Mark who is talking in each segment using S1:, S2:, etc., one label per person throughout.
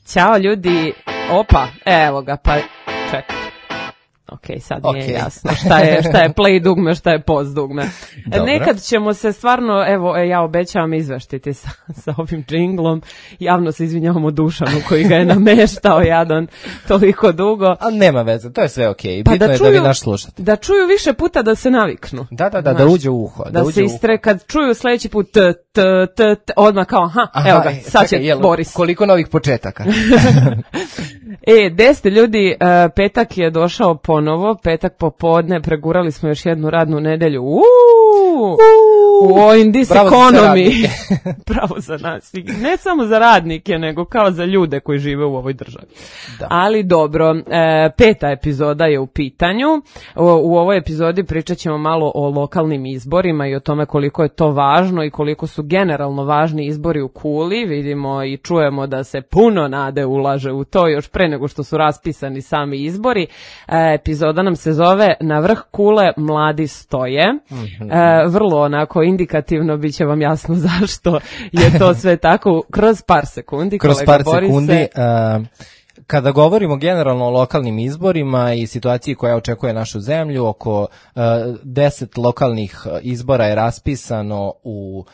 S1: Ćao ljudi, opa, evo ga, pa čekaj. Ok, sad nije jasno šta je play dugme, šta je pause dugme. Nekad ćemo se stvarno, evo, ja obećavam izveštiti sa ovim džinglom. Javno se izvinjavamo Dušanu koji ga je nameštao jadan toliko dugo.
S2: A nema veze, to je sve okej. Bitno je da vi naš slušate.
S1: Da čuju više puta da se naviknu.
S2: Da uđe u uho.
S1: Da se istre, kad čuju sledeći put odmah kao, evo ga, sad će Boris.
S2: Koliko novih početaka.
S1: Gde ste ljudi, petak je došao ponovo, petak popodne, pregurali smo još jednu radnu nedelju. In this economy. Bravo za nas. Ne samo za radnike, nego kao za ljude koji žive u ovoj državi. Da. Ali dobro, peta epizoda je u pitanju. U ovoj epizodi pričat ćemo malo o lokalnim izborima i o tome koliko je to važno i koliko su generalno važni izbori u Kuli. Vidimo i čujemo da se puno nade ulaže u to još pre nego što su raspisani sami izbori. Epizoda nam se zove Na vrh Kule mladi stoje. Vrlo onako indikativno bit će vam jasno zašto je to sve tako kroz par sekundi.
S2: Kada govorimo generalno o lokalnim izborima i situaciji koja očekuje našu zemlju, oko 10 lokalnih izbora je raspisano u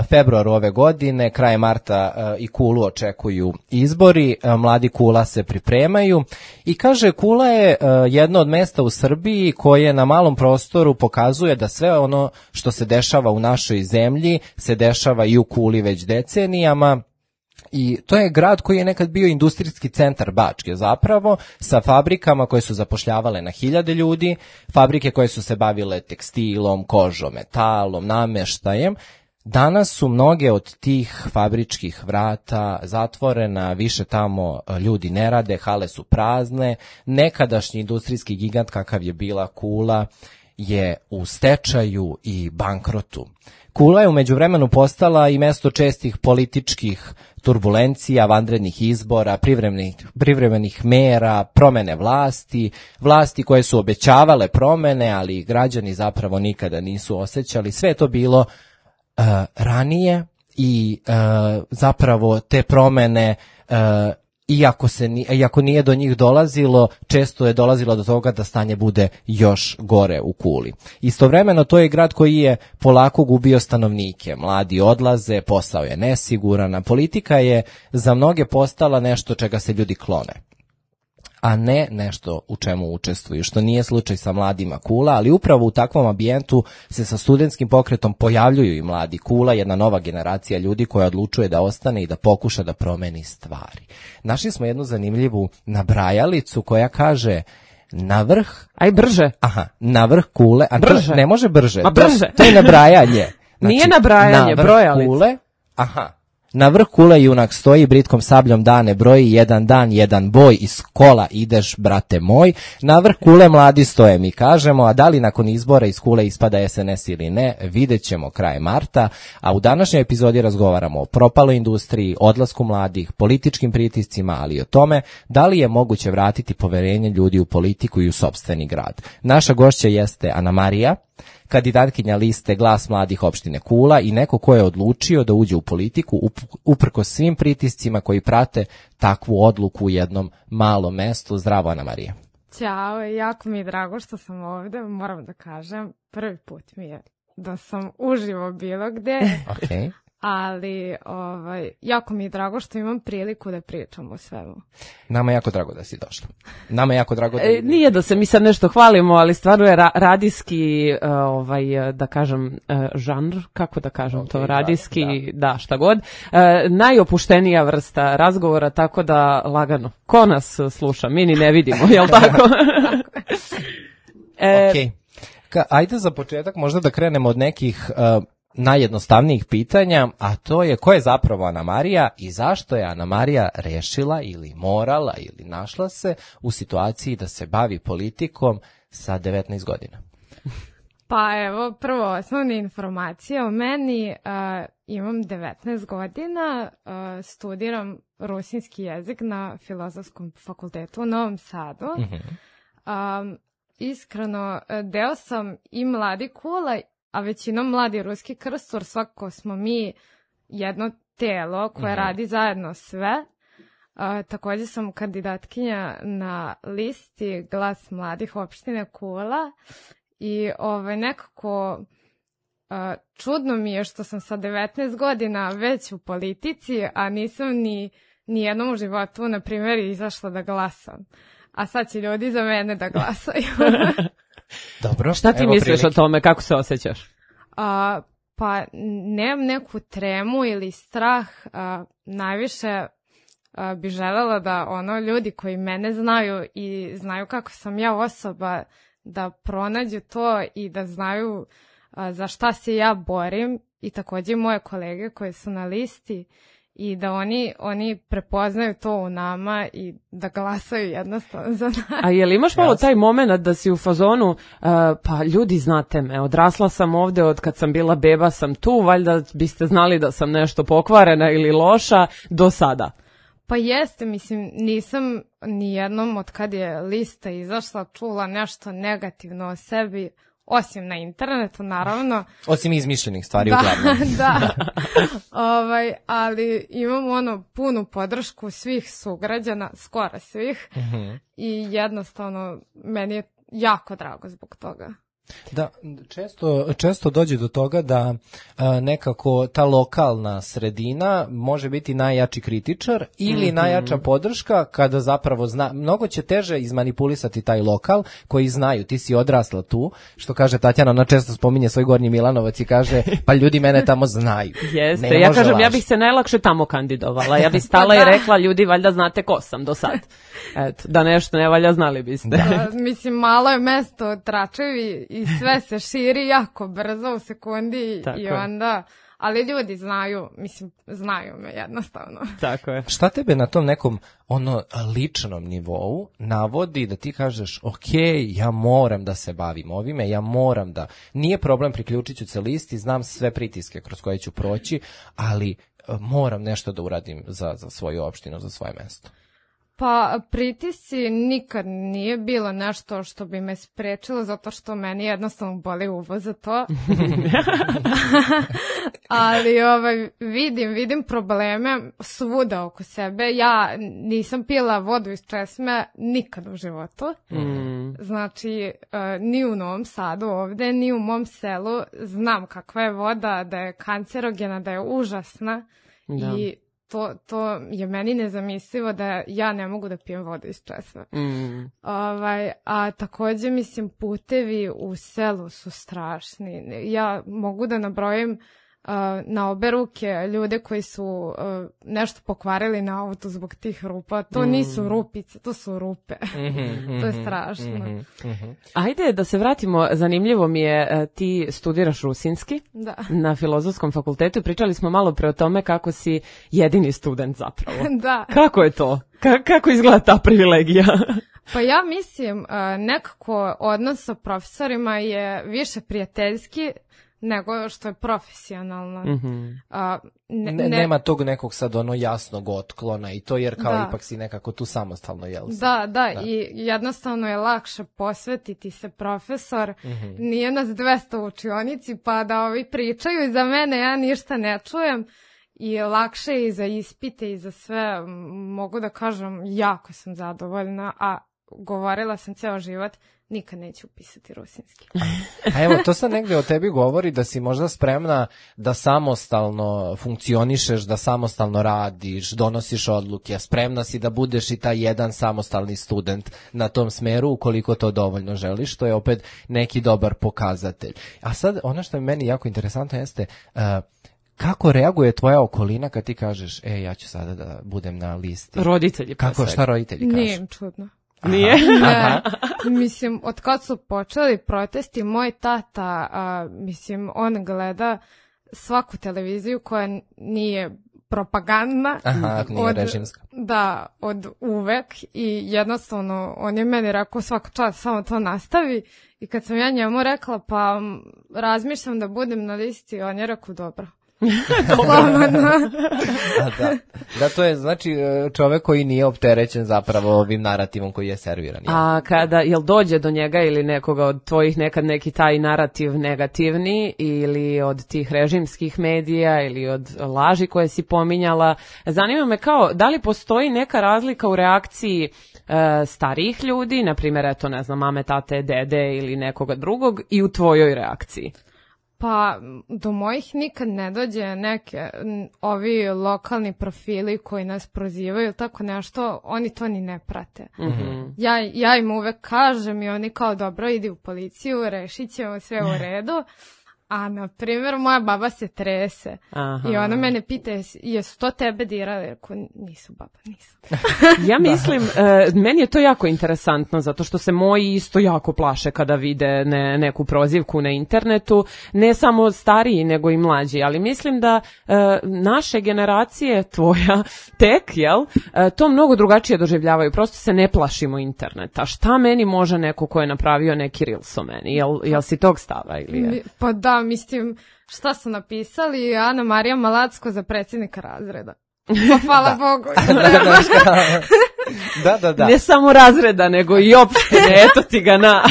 S2: februaru ove godine, kraj marta i Kulu očekuju izbori, mladi Kula se pripremaju i kaže Kula je jedno od mesta u Srbiji koje na malom prostoru pokazuje da sve ono što se dešava u našoj zemlji se dešava i u Kuli već decenijama. I to je grad koji je nekad bio industrijski centar Bačke zapravo, sa fabrikama koje su zapošljavale na 1000 ljudi, fabrike koje su se bavile tekstilom, kožom, metalom, nameštajem. Danas su mnoge od tih fabričkih vrata zatvorena, više tamo ljudi ne rade, hale su prazne, nekadašnji industrijski gigant kakav je bila Kula je u stečaju i bankrotu. Kula je u međuvremenu postala i mesto čestih političkih turbulencija, vanrednih izbora, privremenih mera, promene vlasti koje su obećavale promene, ali građani zapravo nikada nisu osjećali. Sve je to bilo ranije i zapravo te promene iako nije do njih dolazilo, često je dolazilo do toga da stanje bude još gore u Kuli. Istovremeno to je grad koji je polako gubio stanovnike, mladi odlaze, posao je nesiguran, a politika je za mnoge postala nešto čega se ljudi klone, a ne nešto u čemu učestvuju, što nije slučaj sa mladima Kula, ali upravo u takvom ambijentu se sa studentskim pokretom pojavljuju i mladi Kula, jedna nova generacija ljudi koja odlučuje da ostane i da pokuša da promeni stvari. Našli smo jednu zanimljivu nabrajalicu koja kaže na vrh...
S1: Aj brže.
S2: Na vrh Kule...
S1: Brže.
S2: Ne može brže.
S1: Ma brže.
S2: To je nabrajanje. Znači,
S1: nije nabrajanje, brojalica.
S2: Kule, na vrh Kule junak stoji, britkom sabljom dane broji, jedan dan, jedan boj, iz kola ideš, brate moj. Na vrh Kule mladi stoje, mi kažemo, a da li nakon izbora iz Kule ispada SNS ili ne, vidjet ćemo kraj marta, a u današnjoj epizodi razgovaramo o propaloj industriji, odlasku mladih, političkim pritiscima, ali i o tome da li je moguće vratiti poverenje ljudi u politiku i u sopstveni grad. Naša gošća jeste Ana Marija, kandidatkinja liste Glas mladih opštine Kula i neko ko je odlučio da uđe u politiku uprkos svim pritiscima koji prate takvu odluku u jednom malom mestu. Zdravo, Ana Marija.
S3: Ćao, jako mi je drago što sam ovde, moram da kažem, prvi put mi je da sam uživo bilo gde.
S2: Okay.
S3: Ali jako mi je drago što imam priliku da pričam o svemu.
S2: Nama je jako drago da si došla. Nama je jako drago da...
S1: Nije da se mi sad nešto hvalimo, ali stvarno je radijski, da kažem, žanr, kako da kažem to, radijski, da, šta god, najopuštenija vrsta razgovora, tako da lagano. Ko nas sluša? Mi ni ne vidimo, jel tako?
S2: Ok. Ajde za početak možda da krenemo od nekih... najjednostavnijih pitanja, a to je ko je zapravo Ana Marija i zašto je Ana Marija rešila ili morala ili našla se u situaciji da se bavi politikom sa 19 godina.
S3: Pa evo, prvo osnovne informacije o meni, imam 19 godina, studiram rusinski jezik na Filozofskom fakultetu u Novom Sadu. Iskreno, deo sam i mladi Kula, a većinom mladi ruski krstur, svakako smo mi jedno telo koje radi zajedno sve. Također sam kandidatkinja na listi Glas mladih opštine Kula i nekako čudno mi je što sam sa 19 godina već u politici, a nisam ni jednom u životu, na primjer, izašla da glasam. A sad će ljudi za mene da glasaju.
S2: Dobro.
S1: Šta ti misliš o tome, kako se osjećaš?
S3: Pa nemam neku tremu ili strah, najviše bi želela da ljudi koji mene znaju i znaju kako sam ja osoba, da pronađu to i da znaju za šta se ja borim, i također moje kolege koje su na listi, i da oni prepoznaju to u nama i da glasaju jednostavno za nas.
S1: A je li imaš malo taj moment da si u fazonu, pa ljudi znate me, odrasla sam ovde, od kad sam bila beba sam tu, valjda biste znali da sam nešto pokvarena ili loša do sada?
S3: Pa jeste, mislim, nisam nijednom od kad je lista izašla čula nešto negativno o sebi, osim na internetu, naravno.
S2: Osim izmišljenih stvari, uglavnom.
S3: Da, ali imam punu podršku svih sugrađana, skoro svih, i jednostavno meni je jako drago zbog toga.
S2: Da, često dođe do toga da nekako ta lokalna sredina može biti najjači kritičar ili najjača podrška, kada zapravo mnogo će teže izmanipulisati taj lokal koji znaju, ti si odrasla tu, što kaže Tatjana, ona često spominje svoj Gornji Milanovac i kaže, pa ljudi mene tamo znaju.
S1: Jeste, ja kažem, ja bih se najlakše tamo kandidovala, ja bih stala i rekla, ljudi, valjda znate ko sam do sad. Eto, da nešto ne valja, znali biste.
S3: Mislim, malo je mesto Tračevi i sve se širi jako brzo u sekundi. Tako i onda, ali ljudi znaju me jednostavno.
S1: Tako je.
S2: Šta tebe na tom nekom ličnom nivou navodi da ti kažeš, ok, ja moram da se bavim ovime, ja moram da, nije problem, priključit ću se listi, znam sve pritiske kroz koje ću proći, ali moram nešto da uradim za svoju opštinu, za svoje mesto.
S3: Pa pritisci nikad nije bilo nešto što bi me sprečilo, zato što meni jednostavno boli uvo za to. Ali vidim probleme svuda oko sebe. Ja nisam pila vodu iz česme nikad u životu. Znači, ni u Novom Sadu ovde, ni u mom selu znam kakva je voda, da je kancerogena, da je užasna. Da. I to je meni nezamislivo da ja ne mogu da pijem vodu iz česme. A također, mislim, putevi u selu su strašni. Ja mogu da nabrojim na obe ruke ljude koji su nešto pokvarili na auto zbog tih rupa. To nisu rupice, to su rupe. To je strašno.
S1: Ajde da se vratimo, zanimljivo mi je, ti studiraš rusinski na Filozofskom fakultetu. Pričali smo malo pre o tome kako si jedini student zapravo.
S3: Da.
S1: Kako je to? Kako izgleda ta privilegija?
S3: Pa ja mislim, nekako odnos sa profesorima je više prijateljski nego što je profesionalno.
S2: Nema tog nekog sad jasnog otklona i to, jer kao ipak si nekako tu samostalno, jel?
S3: Da, i jednostavno je lakše posvetiti se profesor. Nije nas 200 u učionici, pa da ovi pričaju za mene, ja ništa ne čujem. I lakše i za ispite i za sve, mogu da kažem, jako sam zadovoljna, a govorila sam ceo život, nikad neću upisati rusinski.
S2: A evo, to sad negde o tebi govori da si možda spremna da samostalno funkcionišeš, da samostalno radiš, donosiš odluke, spremna si da budeš i taj jedan samostalni student na tom smeru, ukoliko to dovoljno želiš, to je opet neki dobar pokazatelj. A sad, ono što je meni jako interesantno jeste, kako reaguje tvoja okolina kad ti kažeš, ja ću sada da budem na listi?
S1: Roditelji.
S2: Šta roditelji kažu?
S3: Nije im čudno.
S1: Nije?
S3: Ne, mislim, od kad su počeli protesti, moj tata, on gleda svaku televiziju koja nije propagandna.
S2: Nije režimska.
S3: Da, od uvek, i jednostavno on je meni rekao svaka čast, samo to nastavi, i kad sam ja njemu rekla, pa razmišljam da budem na listi, on je rekao dobro.
S2: Da, to je znači čovek koji nije opterećen zapravo ovim narativom koji je serviran.
S1: A jel dođe do njega ili nekoga od tvojih nekad neki taj narativ negativni ili od tih režimskih medija ili od laži koje si pominjala, zanima me kao da li postoji neka razlika u reakciji starijih ljudi, na primjer, eto, ne znam, mame, tate, dede ili nekoga drugog i u tvojoj reakciji?
S3: Pa, do mojih nikad ne dođe ovi lokalni profili koji nas prozivaju, tako nešto, oni to ni ne prate. Mm-hmm. Ja im uvek kažem i oni kao dobro, idi u policiju, rešit ćemo sve u redu. A, na primjer, moja baba se trese. Aha. I ona mene pita, jesu to tebe dirali? Rekao, nisu baba, nisu.
S1: Ja mislim, meni je to jako interesantno, zato što se moji isto jako plaše kada vide neku prozivku na internetu. Ne samo stariji, nego i mlađi. Ali mislim da naše generacije, tvoja, tek, jel, to mnogo drugačije doživljavaju. Prosto se ne plašimo interneta. Šta meni može neko ko je napravio neki reels o meni? Jel si tog stava ili je?
S3: Pa da, mislim, šta su napisali? Ana Marija Malacko za predsjednika razreda. Pa hvala Bogu.
S2: Da.
S1: Ne samo razreda, nego i opštine, eto ti ga na.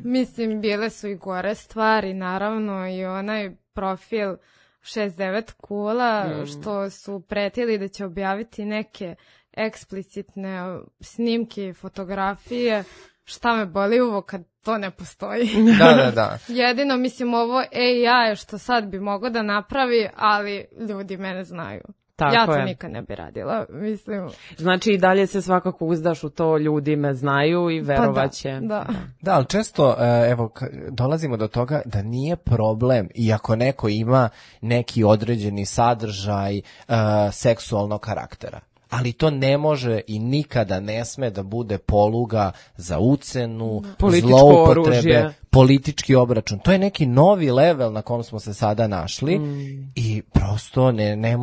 S3: Mislim, bile su i gore stvari, naravno, i onaj profil 69 kula, što su pretili da će objaviti neke eksplicitne snimke i fotografije. Šta me boli uvo kad to ne postoji.
S2: Da.
S3: Jedino, mislim, ovo AI što sad bi mogao da napravi, ali ljudi mene znaju. Tako ja to nikad ne bi radila, mislim.
S1: Znači i dalje se svakako uzdaš u to, ljudi me znaju i verovaće.
S2: Da, ali često, evo, dolazimo do toga da nije problem, iako neko ima neki određeni sadržaj seksualnog karaktera. Ali to ne može i nikada ne sme da bude poluga za ucenu, zloupotrebe, politički obračun. To je neki novi level na kom smo se sada našli i prosto ne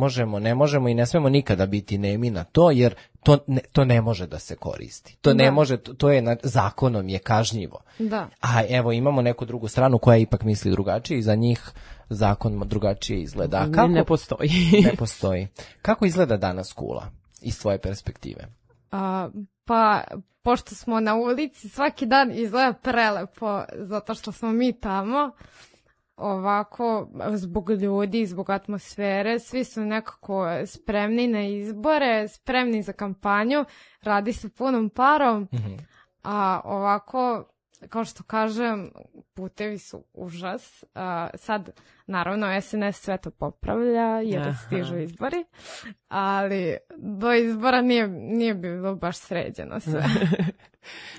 S2: možemo i ne smemo nikada biti nemi na to, jer to ne može da se koristi. To ne može, to je zakonom je kažnjivo.
S3: Da.
S2: A evo imamo neku drugu stranu koja ipak misli drugačije i za njih zakon drugačije izgleda.
S1: Ne postoji.
S2: Ne postoji. Kako izgleda danas Kula iz tvoje perspektive?
S3: Pa, pošto smo na ulici, svaki dan izgleda prelepo, zato što smo mi tamo, ovako, zbog ljudi, zbog atmosfere, svi su nekako spremni na izbore, spremni za kampanju, radi se punom parom, a ovako, kao što kažem, putevi su užas. Sad, naravno, SNS sve to popravlja jer stižu izbori, ali do izbora nije bilo baš sređeno sve.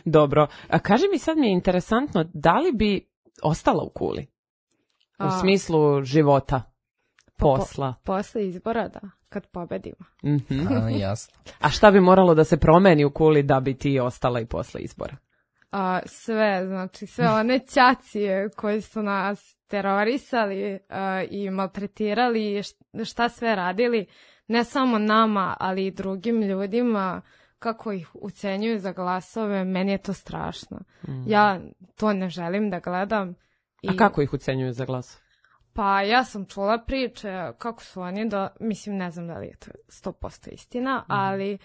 S1: Dobro. A kaži mi, sad mi je interesantno, da li bi ostala u Kuli? U smislu života, posla?
S3: Posle izbora, da, kad pobedimo.
S2: Jasno.
S1: A šta bi moralo da se promeni u Kuli da bi ti ostala i posle izbora?
S3: Sve, znači sve one ćacije koji su nas terorisali i maltretirali, šta sve radili, ne samo nama, ali i drugim ljudima, kako ih ucenjuju za glasove, meni je to strašno. Ja to ne želim da gledam.
S1: A kako ih ucenjuju za glasove?
S3: Pa ja sam čula priče kako su oni, mislim ne znam da li je to 100% istina, ali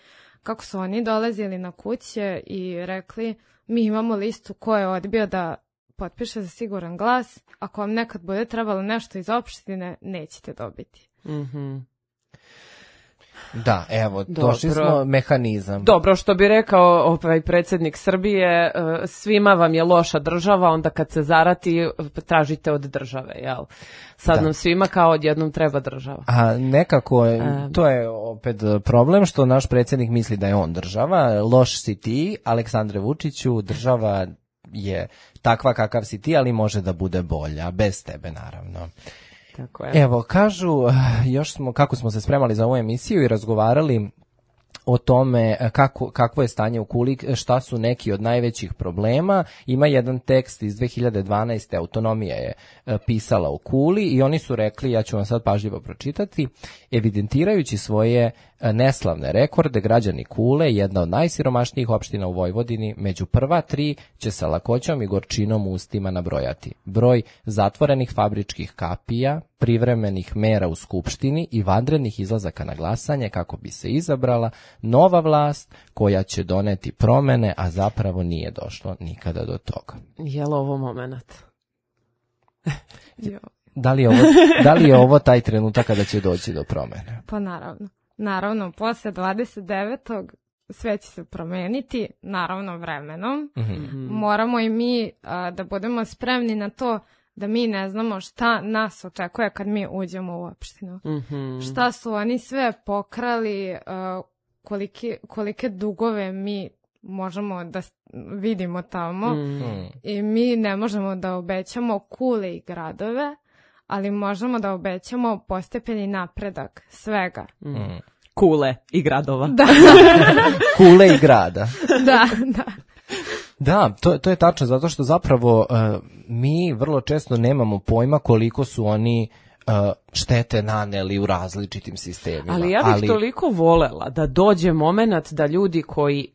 S3: kako su oni dolazili na kuće i rekli, mi imamo listu ko je odbio da potpiše za siguran glas, ako vam nekad bude trebalo nešto iz opštine, nećete dobiti.
S2: Da, evo, došli smo mehanizam.
S1: Dobro, što bi rekao predsjednik Srbije, svima vam je loša država, onda kad se zarati, tražite od države, jel? Sad nam svima kao odjednom treba država.
S2: A nekako, to je opet problem što naš predsjednik misli da je on država, loš si ti, Aleksandre Vučiću, država je takva kakav si ti, ali može da bude bolja, bez tebe naravno.
S1: Tako je.
S2: Evo, kažu, kako smo se spremali za ovu emisiju i razgovarali o tome kakvo je stanje u Kuli, šta su neki od najvećih problema. Ima jedan tekst iz 2012. Autonomija je pisala u Kuli i oni su rekli, ja ću vam sad pažljivo pročitati, evidentirajući svoje neslavne rekorde, građani Kule, jedna od najsiromašnijih opština u Vojvodini, među prva 3 će sa lakoćom i gorčinom u ustima nabrojati broj zatvorenih fabričkih kapija, privremenih mera u Skupštini i vanrednih izlazaka na glasanje kako bi se izabrala nova vlast koja će doneti promene, a zapravo nije došlo nikada do toga.
S1: Je li ovo moment?
S2: Da li je ovo taj trenutak kada će doći do promene?
S3: Pa naravno, posle 29. sve će se promeniti, naravno vremenom. Moramo i mi da budemo spremni na to da mi ne znamo šta nas očekuje kad mi uđemo u opštinu. Šta su oni sve pokrali, kolike dugove mi možemo da vidimo tamo i mi ne možemo da obećamo kule i gradove, ali možemo da obećamo postepeni napredak svega.
S1: Kule i gradova.
S3: Da.
S2: Kule i grada.
S3: Da.
S2: Da, to je tačno, zato što zapravo mi vrlo često nemamo pojma koliko su oni štete naneli u različitim sistemima.
S1: Ali ja bih toliko volela da dođe moment da ljudi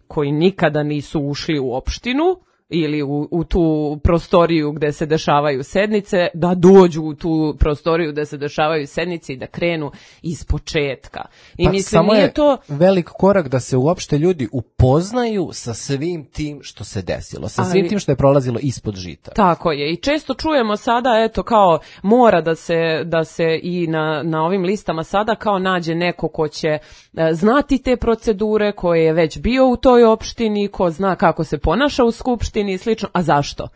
S1: koji nikada nisu ušli u opštinu ili u tu prostoriju gde se dešavaju sednice, da dođu u tu prostoriju gde se dešavaju sednice i da krenu iz početka. I mislim,
S2: samo
S1: nije
S2: je
S1: to
S2: velik korak da se uopšte ljudi upoznaju sa svim tim što se desilo, sa svim tim što je prolazilo ispod žita.
S1: Tako je. I često čujemo sada, eto, kao mora da se i na ovim listama sada kao nađe neko ko će znati te procedure, ko je već bio u toj opštini, ko zna kako se ponaša u skupštini i slično. A zašto?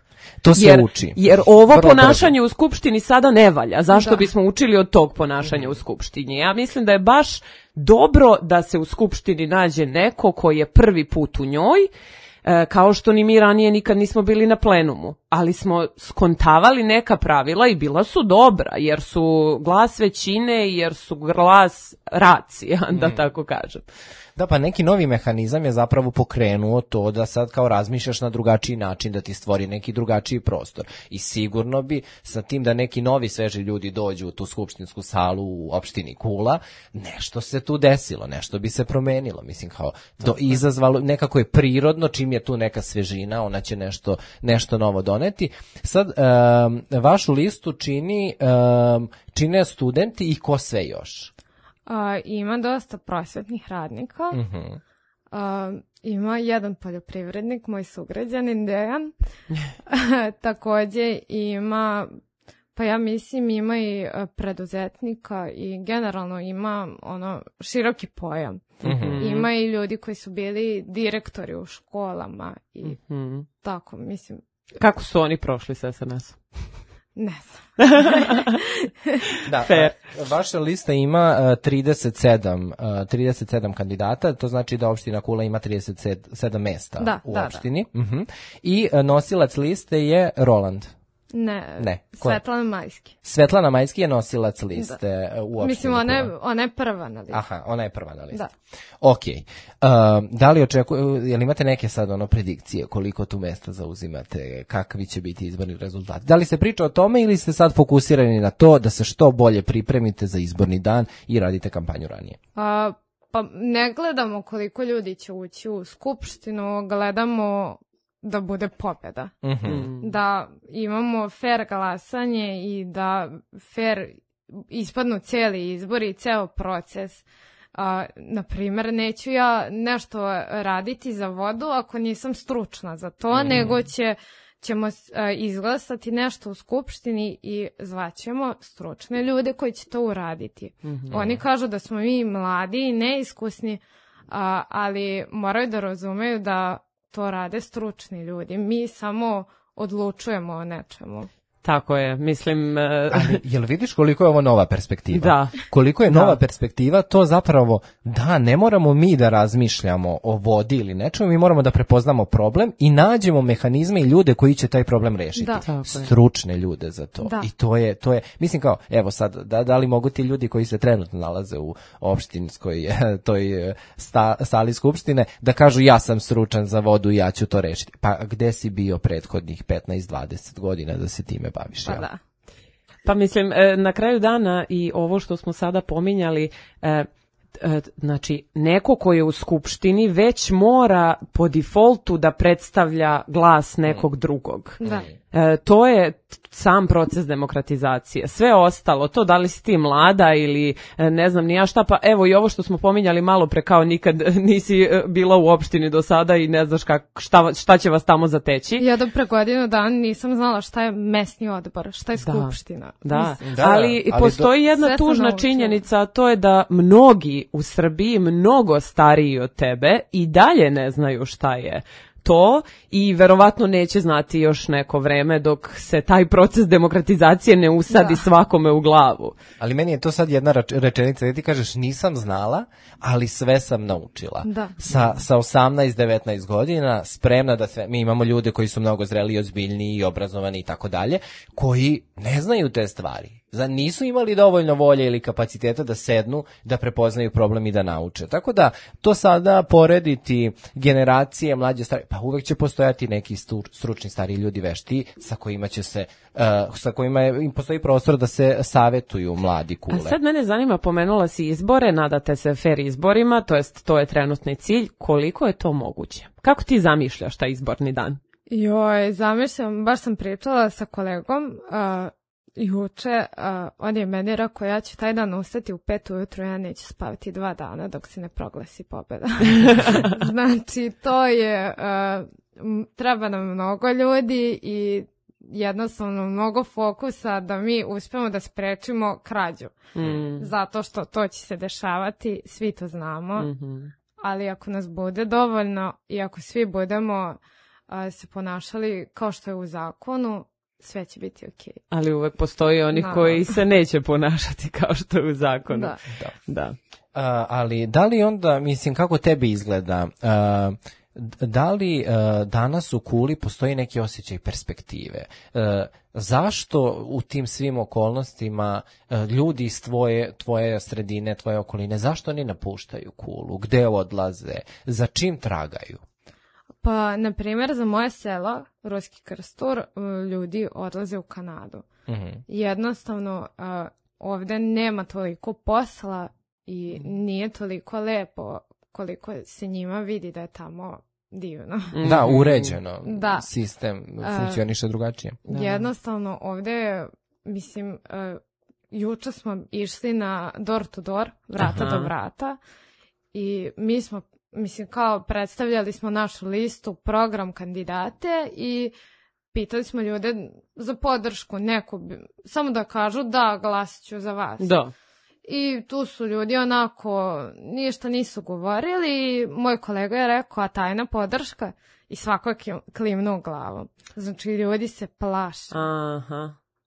S2: To se uči.
S1: Jer ovo ponašanje u skupštini sada ne valja. Zašto bismo učili od tog ponašanja u skupštini? Ja mislim da je baš dobro da se u skupštini nađe neko koji je prvi put u njoj, kao što ni mi ranije nikad nismo bili na plenumu, ali smo skontavali neka pravila i bila su dobra, jer su glas većine, jer su glas racija, da tako kažem.
S2: Da, pa neki novi mehanizam je zapravo pokrenuo to da sad kao razmišljaš na drugačiji način, da ti stvori neki drugačiji prostor. I sigurno bi sa tim da neki novi sveži ljudi dođu u tu skupštinsku salu u opštini Kula, nešto se tu desilo, nešto bi se promenilo. Mislim, kao izazvalo, nekako je prirodno, čim je tu neka svežina, ona će nešto novo doneti. Sad, vašu listu čine studenti i ko sve još?
S3: Ima dosta prosvetnih radnika, ima jedan poljoprivrednik, moj sugrađanin Dejan, takođe ima, pa ja mislim ima i preduzetnika i generalno ima široki pojam. Ima i ljudi koji su bili direktori u školama i tako, mislim.
S1: Kako su oni prošli s SNS-om?
S3: Ne znam.
S2: Da, vaša lista ima 37 kandidata, to znači da opština Kula ima 37 mesta u opštini. I nosilac liste je Roland.
S3: Ne. Svetlana Majski.
S2: Svetlana Majski je nosilac liste u opštini.
S3: Mislim, ona je prva na listi.
S2: Aha, ona je prva na listi.
S3: Da.
S2: Ok. Da li jel imate neke sad predikcije koliko tu mesta zauzimate, kakvi će biti izborni rezultati? Da li se priča o tome ili ste sad fokusirani na to da se što bolje pripremite za izborni dan i radite kampanju ranije?
S3: Pa ne gledamo koliko ljudi će ući u skupštinu, gledamo da bude pobjeda. Da imamo fair glasanje i da fair ispadnu cijeli izbori i ceo proces. Na primjer, neću ja nešto raditi za vodu ako nisam stručna za to, nego ćemo izglasati nešto u skupštini i zvaćemo stručne ljude koji će to uraditi. Oni kažu da smo mi mladi i neiskusni, ali moraju da razumeju da to rade stručni ljudi. Mi samo odlučujemo o nečemu.
S1: Tako je, mislim...
S2: Ali, jel vidiš koliko je ovo nova perspektiva?
S1: Da.
S2: Koliko je nova perspektiva, to zapravo, ne moramo mi da razmišljamo o vodi ili nečemu, mi moramo da prepoznamo problem i nađemo mehanizme i ljude koji će taj problem rešiti. Stručne ljude za to. I to je, mislim kao, evo sad, da li mogu ti ljudi koji se trenutno nalaze u opštinskoj toj sali skupštine, da kažu ja sam stručan za vodu i ja ću to rešiti. Pa gde si bio prethodnih 15-20 godina da se time baviš?
S3: Pa da.
S1: Pa mislim, na kraju dana i ovo što smo sada pominjali, znači neko ko je u skupštini već mora po defaultu da predstavlja glas nekog drugog. To je sam proces demokratizacije. Sve ostalo, to da li si ti mlada ili ne znam ni ja šta, pa evo i ovo što smo pominjali malo pre, kao nikad nisi bila u opštini do sada i ne znaš šta će vas tamo zateći.
S3: Ja do pre godinu dana nisam znala šta je mesni odbor, šta je skupština.
S1: Da. Ali postoji jedna tužna činjenica, a to je da mnogi u Srbiji, mnogo stariji od tebe, i dalje ne znaju šta je to i verovatno neće znati još neko vreme dok se taj proces demokratizacije ne usadi svakome u glavu.
S2: Ali meni je to sad jedna rečenica da ti kažeš nisam znala, ali sve sam naučila.
S3: Da.
S2: Sa 18-19 godina spremna da sve, mi imamo ljude koji su mnogo zreli, ozbiljniji i obrazovani i tako dalje, koji ne znaju te stvari. Nisu imali dovoljno volje ili kapaciteta da sednu, da prepoznaju problem i da nauče. Tako da to sada porediti generacije mlađe stari, pa uvek će postojati neki stručni stariji ljudi vešti sa kojima će se sa kojima im postoji prostor da se savetuju mladi kule.
S1: A sad mene zanima, pomenula si izbore, nadate se fer izborima, to je trenutni cilj, koliko je to moguće? Kako ti zamišljaš taj izborni dan?
S3: Zamišljam, baš sam pričala sa kolegom juče, on je meni rekao, ja ću taj dan ustati u 5 ujutru, ja neću spavati 2 dana dok se ne proglasi pobjeda. Znači, to je, treba nam mnogo ljudi i jednostavno mnogo fokusa da mi uspemo da sprečimo krađu. Zato što to će se dešavati, svi to znamo, ali ako nas bude dovoljno i ako svi budemo se ponašali kao što je u zakonu, sve će biti okej.
S1: Ali uvek postoji onih koji se neće ponašati kao što je u zakonu. Da.
S2: Ali da li onda, mislim, kako tebi izgleda, da li danas u Kuli postoji neki osjećaj perspektive? Zašto u tim svim okolnostima ljudi iz tvoje sredine, tvoje okoline, zašto oni napuštaju Kulu? Gde odlaze? Za čim tragaju?
S3: Pa, na primjer, za moje selo, Ruski Krstur, ljudi odlaze u Kanadu. Jednostavno, ovdje nema toliko posla i nije toliko lepo koliko se njima vidi da je tamo divno.
S2: Da, uređeno. Sistem funkcioniše drugačije.
S3: Jednostavno, ovdje, mislim, juče smo išli na door to door, vrata do vrata, i mi smo, mislim, kao predstavljali smo našu listu, program, kandidate i pitali smo ljude za podršku neku, samo da kažu da, glasit ću za vas.
S1: Da.
S3: I tu su ljudi onako ništa nisu govorili. Moj kolega je rekao, a tajna podrška? I svako je klimnuo glavom. Znači, ljudi se plaše.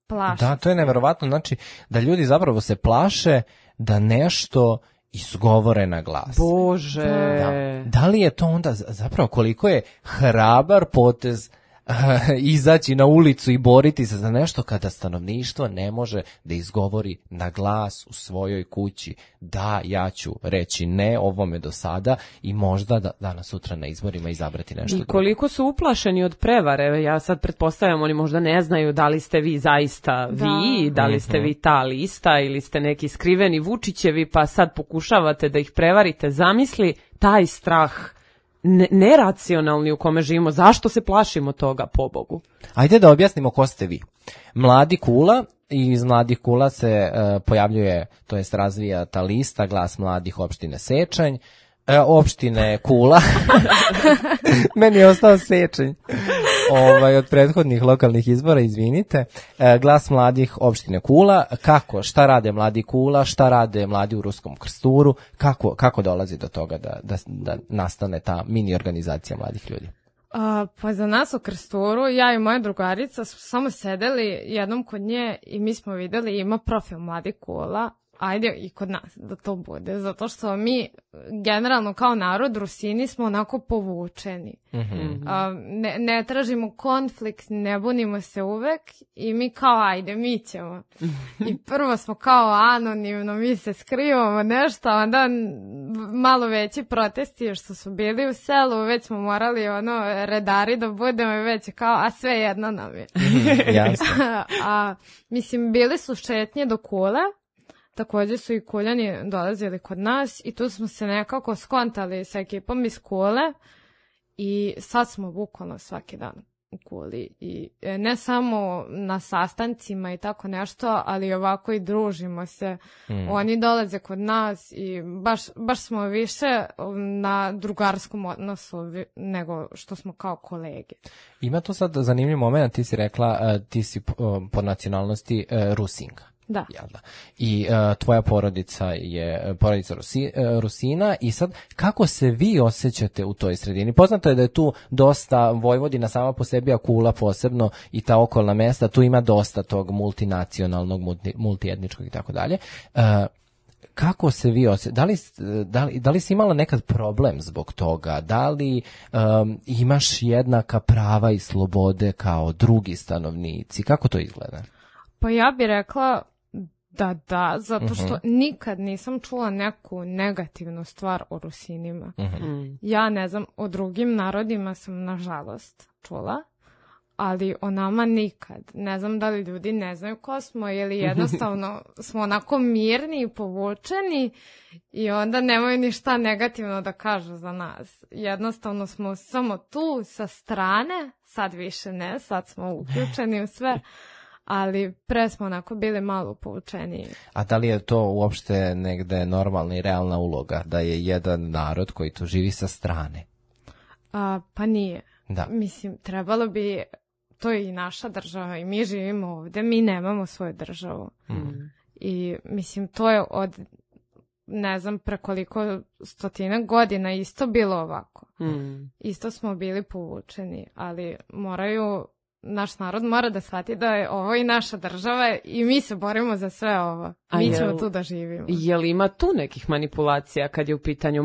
S3: Plaše.
S2: Da, to je neverovatno. Znači, da ljudi zapravo se plaše da nešto izgovore na glas.
S1: Bože.
S2: Da li je to onda zapravo koliko je hrabar potez izaći na ulicu i boriti se za nešto kada stanovništvo ne može da izgovori na glas u svojoj kući da, ja ću reći ne ovome do sada i možda da danas sutra na izborima izabrati nešto drugo.
S1: I koliko su uplašeni od prevare, ja sad pretpostavljam, oni možda ne znaju da li ste vi zaista vi, da li ste vi ta lista ili ste neki skriveni Vučićevi, pa sad pokušavate da ih prevarite. Zamisli taj strah neracionalni u kome živimo. Zašto se plašimo toga, pobogu?
S2: Ajde da objasnimo ko ste vi. Mladi Kula, i iz Mladih Kula se pojavljuje, to jest razvija ta lista Glas mladih opštine Sečanj, opštine Kula. Meni je ostao Sečanj. Od prethodnih lokalnih izbora, izvinite. Glas mladih opštine Kula. Kako? Šta rade mladi Kula? Šta rade mladi u Ruskom Krsturu? Kako dolazi do toga da nastane ta mini organizacija mladih ljudi?
S3: Pa za nas u Krsturu, ja i moja drugarica smo samo sedeli jednom kod nje i mi smo videli, ima profil Mladi Kula, ajde i kod nas da to bude, zato što mi generalno kao narod Rusini smo onako povučeni. Ne tražimo konflikt, ne bunimo se uvek i mi kao ajde, mi ćemo. I prvo smo kao anonimno, mi se skrivamo nešto, onda malo veći protesti što su bili u selu, već smo morali redari da budemo i već kao, a sve jedno nam je.
S2: Jasno.
S3: Mislim, bili su šetnje do Kule. Također su i Kuljani dolazili kod nas i tu smo se nekako skontali sa ekipom iz Kule i sad smo bukvalno svaki dan. u Kuli i ne samo na sastancima i tako nešto, ali ovako i družimo se. Oni dolaze kod nas i baš smo više na drugarskom odnosu nego što smo kao kolege.
S2: Ima to sad zanimljiv moment, ti si rekla, ti si po nacionalnosti Rusinka.
S3: Da.
S2: I tvoja porodica je porodica Rusina i sad kako se vi osjećate u toj sredini? Poznato je da je tu dosta Vojvodina sama po sebi, a Kula posebno i ta okolna mesta, tu ima dosta tog multinacionalnog, multietničkog i tako dalje. Kako se vi osjećate? Da li si imala nekad problem zbog toga? Da li imaš jednaka prava i slobode kao drugi stanovnici? Kako to izgleda?
S3: Pa ja bih rekla da, zato što nikad nisam čula neku negativnu stvar o Rusinima. Ja ne znam, o drugim narodima sam nažalost čula, ali o nama nikad. Ne znam da li ljudi ne znaju ko smo ili jednostavno smo onako mirni i povučeni i onda nemaju ništa negativno da kažu za nas. Jednostavno smo samo tu sa strane, sad više ne, sad smo uključeni u sve, ali pre smo onako bili malo povučeniji.
S2: A da li je to uopšte negde normalna i realna uloga, da je jedan narod koji tu živi sa strane?
S3: Pa nije.
S2: Da.
S3: Mislim, trebalo bi, to je i naša država i mi živimo ovde, mi nemamo svoju državu. I mislim, to je od, ne znam, prekoliko stotina godina isto bilo ovako. Isto smo bili povučeni, ali naš narod mora da shvati da je ovo i naša država i mi se borimo za sve ovo. Mi ćemo tu da živimo.
S1: Je li ima tu nekih manipulacija kad je u pitanju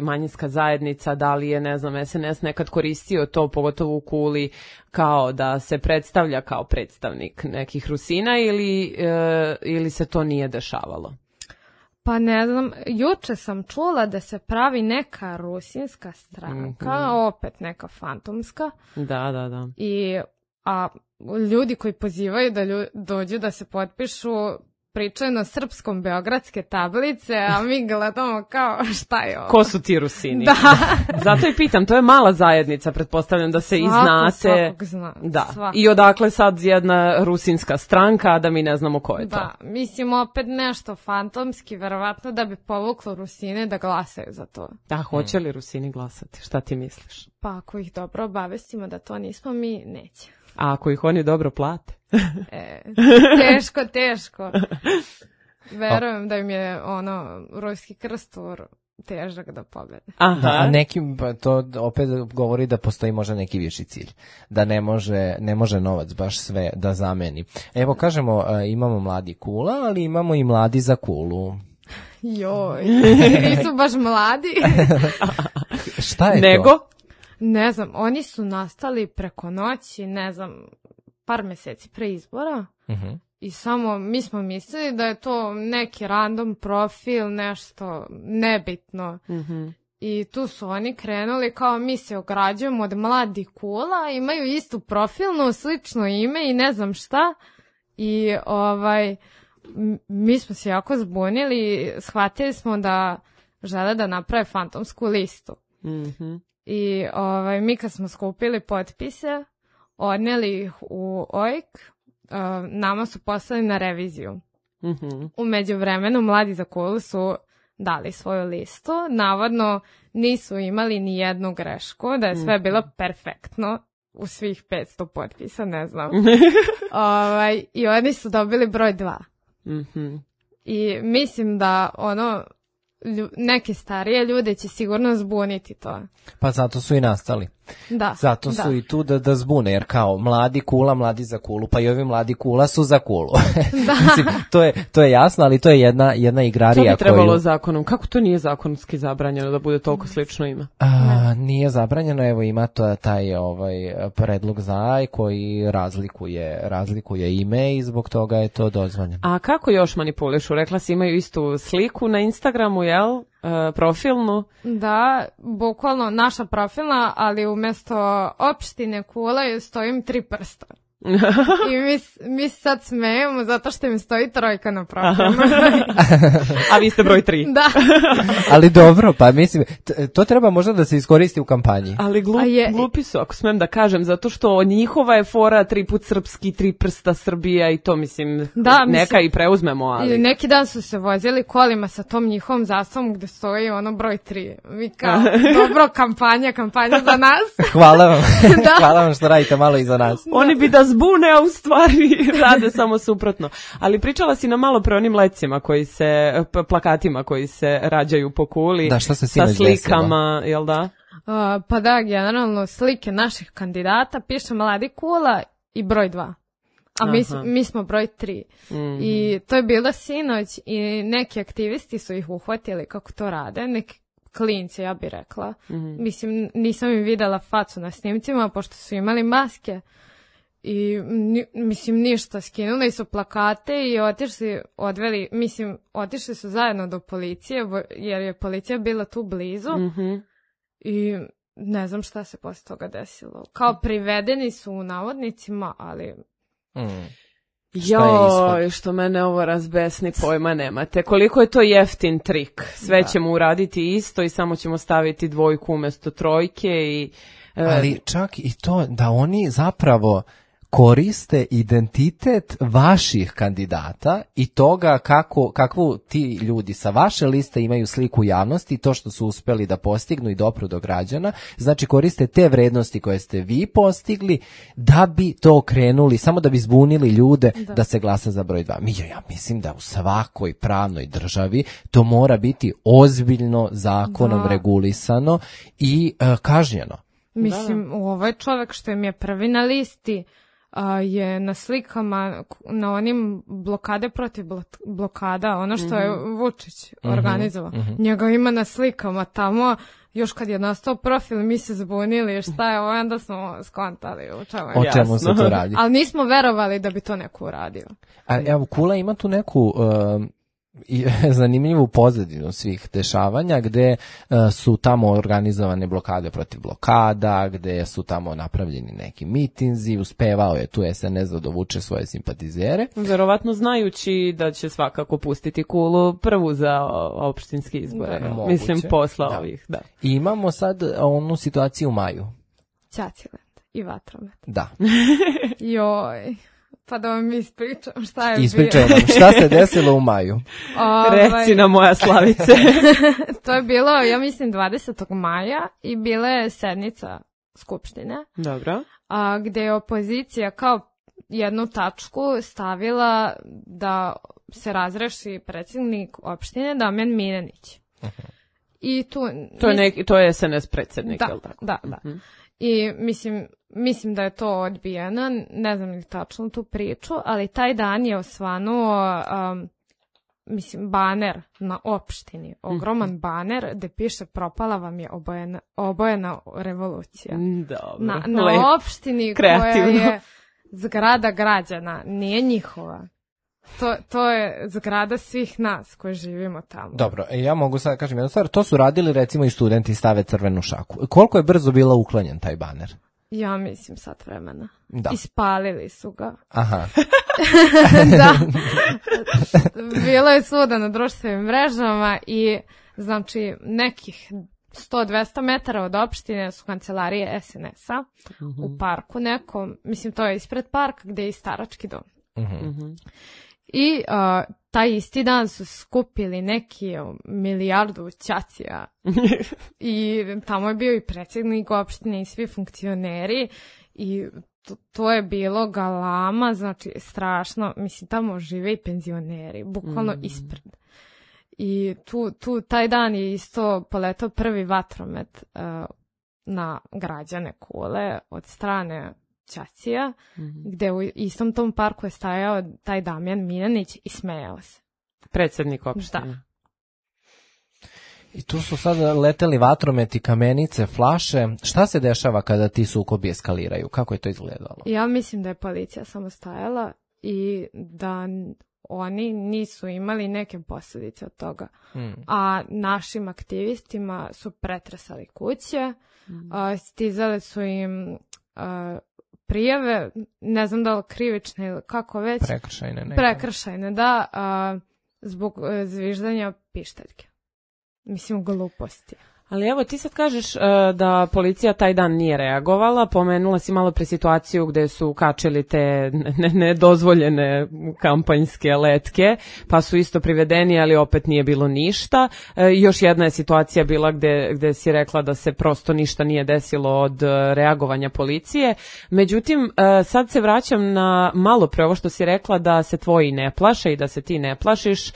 S1: manjinska zajednica? Da li je, ne znam, SNS nekad koristio to, pogotovo u Kuli, kao da se predstavlja kao predstavnik nekih Rusina ili se to nije dešavalo?
S3: Pa ne znam, juče sam čula da se pravi neka rusinska stranka, opet neka fantomska.
S1: Da.
S3: A ljudi koji pozivaju da dođu da se potpišu pričaju na srpskom beogradske tablice, a mi gledamo kao šta je ovo.
S1: Ko su ti Rusini?
S3: Da.
S1: Zato i pitam, to je mala zajednica, pretpostavljam da se i znate.
S3: Svakog zna.
S1: Da. I odakle sad jedna rusinska stranka, a da mi ne znamo ko je to.
S3: Da, mislim opet nešto fantomski, verovatno da bi povuklo Rusine da glasaju za to.
S1: Da, hoće li Rusini glasati? Šta ti misliš?
S3: Pa ako ih dobro obavestimo da to nismo mi, neće.
S1: A ako ih oni dobro plate?
S3: Teško. Verujem da im je ruski krstur težak da pobede.
S2: Da, nekim to opet govori da postoji možda neki viši cilj. Da ne može novac baš sve da zameni. Evo kažemo, imamo mladi Kula, ali imamo i mladi za Kulu.
S3: Joj, nisu baš mladi.
S2: Šta je
S1: Nego?
S2: to?
S3: Ne znam, oni su nastali preko noći, ne znam, par meseci pre izbora i samo mi smo mislili da je to neki random profil, nešto nebitno. I tu su oni krenuli kao mi se ograđujemo od mladih Kula, imaju istu profilnu, slično ime i ne znam šta. I mi smo se jako zbunili, shvatili smo da žele da naprave fantomsku listu. I mi kad smo skupili potpise, odneli ih u OIK, nama su poslali na reviziju. U međuvremenu mladi za Kulu su dali svoju listu, navodno nisu imali ni jednu grešku, da je sve bilo perfektno u svih 500 potpisa, ne znam. I oni su dobili broj 2. I mislim da neke starije ljude će sigurno zbuniti to.
S2: Pa zato su i nastali.
S3: Da.
S2: Zato su i tu da zbune, jer kao mladi Kula, mladi za Kulu, pa i ovi mladi Kula su za Kulu.
S3: Da.
S2: Mislim, to je jasno, ali to je jedna igrarija.
S1: To bi trebalo zakonom. Kako to nije zakonski zabranjeno da bude toliko slično ime?
S2: Nije zabranjeno, evo ima taj predlog za koji razlikuje ime i zbog toga je to dozvoljeno.
S1: A kako još manipulišu? Rekla si imaju istu sliku na Instagramu, jel? Profilnu?
S3: Da, bukvalno naša profilna, ali umjesto opštine Kula stojim 3 prsta. I mi sad smejemo zato što mi stoji 3 na profilu.
S1: A vi ste broj 3.
S3: Da.
S2: Ali dobro, pa mislim, to treba možda da se iskoristi u kampanji.
S1: Ali glupi su, ako smem da kažem, zato što njihova je fora 3 put srpski, 3 prsta Srbija i to, mislim, neka i preuzmemo, ali...
S3: Neki dan su se vozili kolima sa tom njihovom zastavom gde stoji ono broj 3. Mi kao, dobro, kampanja za nas.
S2: Hvala vam. Hvala vam što radite malo i za nas.
S1: Oni bi da zbune, a u stvari rade samo suprotno. Ali pričala si nam malo pre onim lecima koji se, plakatima koji se rađaju po kuli.
S2: Da, šta se
S1: sa slikama, jel da?
S3: Pa da, generalno slike naših kandidata, piše mladi kula i broj 2. A mi smo broj 3. Mm-hmm. I to je bilo sinoć i neki aktivisti su ih uhvatili kako to rade, neki klinci, ja bih rekla. Mm-hmm. Mislim, nisam im videla facu na snimcima, pošto su imali maske. I, mislim, ništa, skinuli su plakate i otišli su zajedno do policije, jer je policija bila tu blizu. Mm-hmm. I ne znam šta se posle toga desilo. Kao privedeni su u navodnicima, ali...
S1: Joj, što mene ovo razbesni, pojma nemate. Koliko je to jeftin trik. Sve ćemo uraditi isto i samo ćemo staviti 2 umjesto 3 i...
S2: Ali čak i to da oni zapravo koriste identitet vaših kandidata i toga kakvu ti ljudi sa vaše liste imaju sliku u javnosti, to što su uspeli da postignu i dopru do građana, znači koriste te vrednosti koje ste vi postigli da bi to okrenuli, samo da bi zbunili ljude da se glasa za broj 2. Ja mislim da u svakoj pravnoj državi to mora biti ozbiljno zakonom regulisano i kažnjeno.
S3: Mislim, ovaj čovjek što im je prvi na listi je na slikama, na onim blokade protiv blokada, ono što je Vučić organizovao. Njega ima na slikama tamo, još kad je nastao profil, mi se zbunili, šta je ovo, onda smo skontali
S2: o čemu se to radi.
S3: Ali nismo verovali da bi to neko uradio.
S2: A evo, Kula ima tu neku... i zanimljivu pozadinu svih dešavanja gde su tamo organizovane blokade protiv blokada, gde su tamo napravljeni neki mitinzi, uspevao je tu SNS da dovuče svoje simpatizere.
S1: Verovatno znajući da će svakako pustiti Kulu prvu za opštinske izbore. Da, mislim, posla ovih. Da.
S2: I imamo sad onu situaciju u maju.
S3: Ćacilet i vatromet.
S2: Da.
S3: Joj... Pa da vam ispričam šta je
S2: Ispričaj nam, šta se desilo u maju?
S1: Reci na moja Slavice.
S3: To je bilo, ja mislim, 20. maja i bila je sednica Skupštine.
S1: Dobro.
S3: Gde je opozicija kao jednu tačku stavila da se razreši predsjednik opštine Damjan Milenić. Uh-huh. I
S1: to je SNS predsjednik,
S3: da,
S1: je li tako?
S3: Da. Uh-huh. I mislim da je to odbijeno, ne znam li tačno tu priču, ali taj dan je osvanuo baner na opštini, ogroman baner gde piše propala vam je obojena revolucija.
S1: Dobro.
S3: Na opštini kreativno. Koja je zgrada građana, nije njihova. To je zgrada svih nas koji živimo tamo.
S2: Dobro, ja mogu sad kažem jednu stvar, to su radili recimo i studenti stave crvenu šaku. Koliko je brzo bila uklonjen taj baner?
S3: Ja mislim sat vremena.
S2: Da.
S3: Ispalili su ga.
S2: Aha.
S3: Da. Bilo je svuda na društvenim mrežama i znači nekih 100-200 metara od opštine su kancelarije SNS-a u parku nekom, mislim to je ispred parka gde je i starački dom. I taj isti dan su skupili neki 1 milijardu ćacija i tamo je bio i predsjednik opštine i svi funkcioneri i to je bilo galama, znači strašno, mislim tamo žive i penzioneri, bukvalno ispred. I taj dan je isto poletao prvi vatromet na građane Kule od strane ćacija, gde u istom tom parku je stajao taj Damjan Milenić i smejao se.
S1: Predsjednik opštine.
S3: Da.
S2: I tu su sad leteli vatrometi, kamenice, flaše. Šta se dešava kada ti sukobi eskaliraju? Kako je to izgledalo?
S3: Ja mislim da je policija samo stajala i da oni nisu imali neke posljedice od toga. A našim aktivistima su pretresali kuće, stizale su im prijave, ne znam da li krivične ili kako već. Prekršajne, da, zbog zviždanja pištaljke. Mislim, gluposti.
S1: Ali evo, ti sad kažeš da policija taj dan nije reagovala, pomenula si malo pre situaciju gde su kačili te nedozvoljene kampanjske letke, pa su isto privedeni, ali opet nije bilo ništa. Još jedna je situacija bila gde si rekla da se prosto ništa nije desilo od reagovanja policije. Međutim, sad se vraćam na malo pre ovo što si rekla da se tvoji ne plaše i da se ti ne plašiš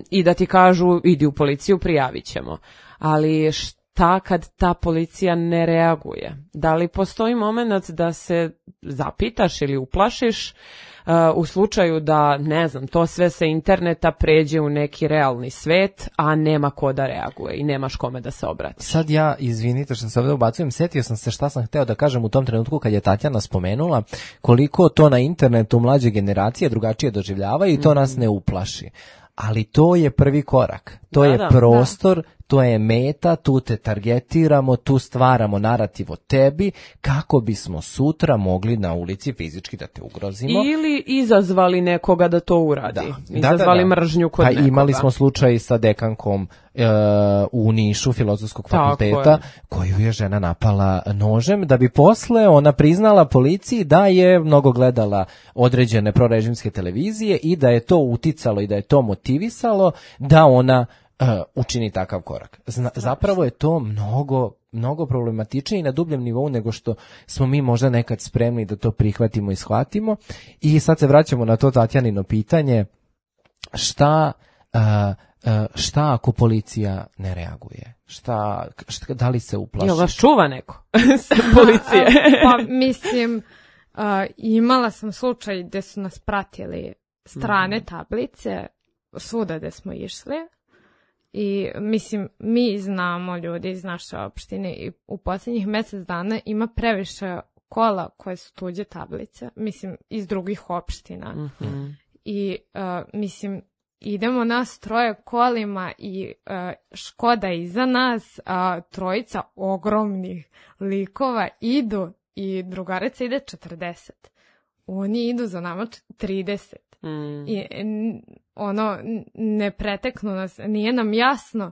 S1: i da ti kažu idi u policiju, prijavit ćemo. Ali šta kad ta policija ne reaguje? Da li postoji moment da se zapitaš ili uplašiš u slučaju da, ne znam, to sve sa interneta pređe u neki realni svet, a nema ko da reaguje i nemaš kome da se obrati?
S2: Sad ja, izvinite što se ovdje ubacujem, setio sam se šta sam hteo da kažem u tom trenutku kad je Tatjana spomenula koliko to na internetu mlađe generacije drugačije doživljavaju i to nas ne uplaši. Ali to je prvi korak, to je prostor, to je meta, tu te targetiramo, tu stvaramo narativ o tebi kako bismo sutra mogli na ulici fizički da te ugrozimo.
S1: Ili izazvali nekoga da to uradi, izazvali mržnju kod nekoga.
S2: Imali smo slučaj sa dekankom u Nišu Filozofskog fakulteta koju je žena napala nožem da bi posle ona priznala policiji da je mnogo gledala određene prorežimske televizije i da je to uticalo i da je to motivisalo da ona učini takav korak. Zapravo je to mnogo problematičnije i na dubljem nivou nego što smo mi možda nekad spremni da to prihvatimo i shvatimo. I sad se vraćamo na to Tatjanino pitanje, šta ako policija ne reaguje? Da li se uplaši?
S1: Jel vas čuva neko sa policije?
S3: Pa mislim, imala sam slučaj gde su nas pratili strane tablice, svuda gde smo išli. I mislim, mi znamo ljudi iz naše opštine i u posljednjih mjesec dana ima previše kola koje su tuđe tablice, mislim iz drugih opština. I mislim, idemo nas troje kolima i Škoda iza nas, trojica ogromnih likova idu i drugarica ide 40. Oni idu za nama 30. I ne preteknu nas, nije nam jasno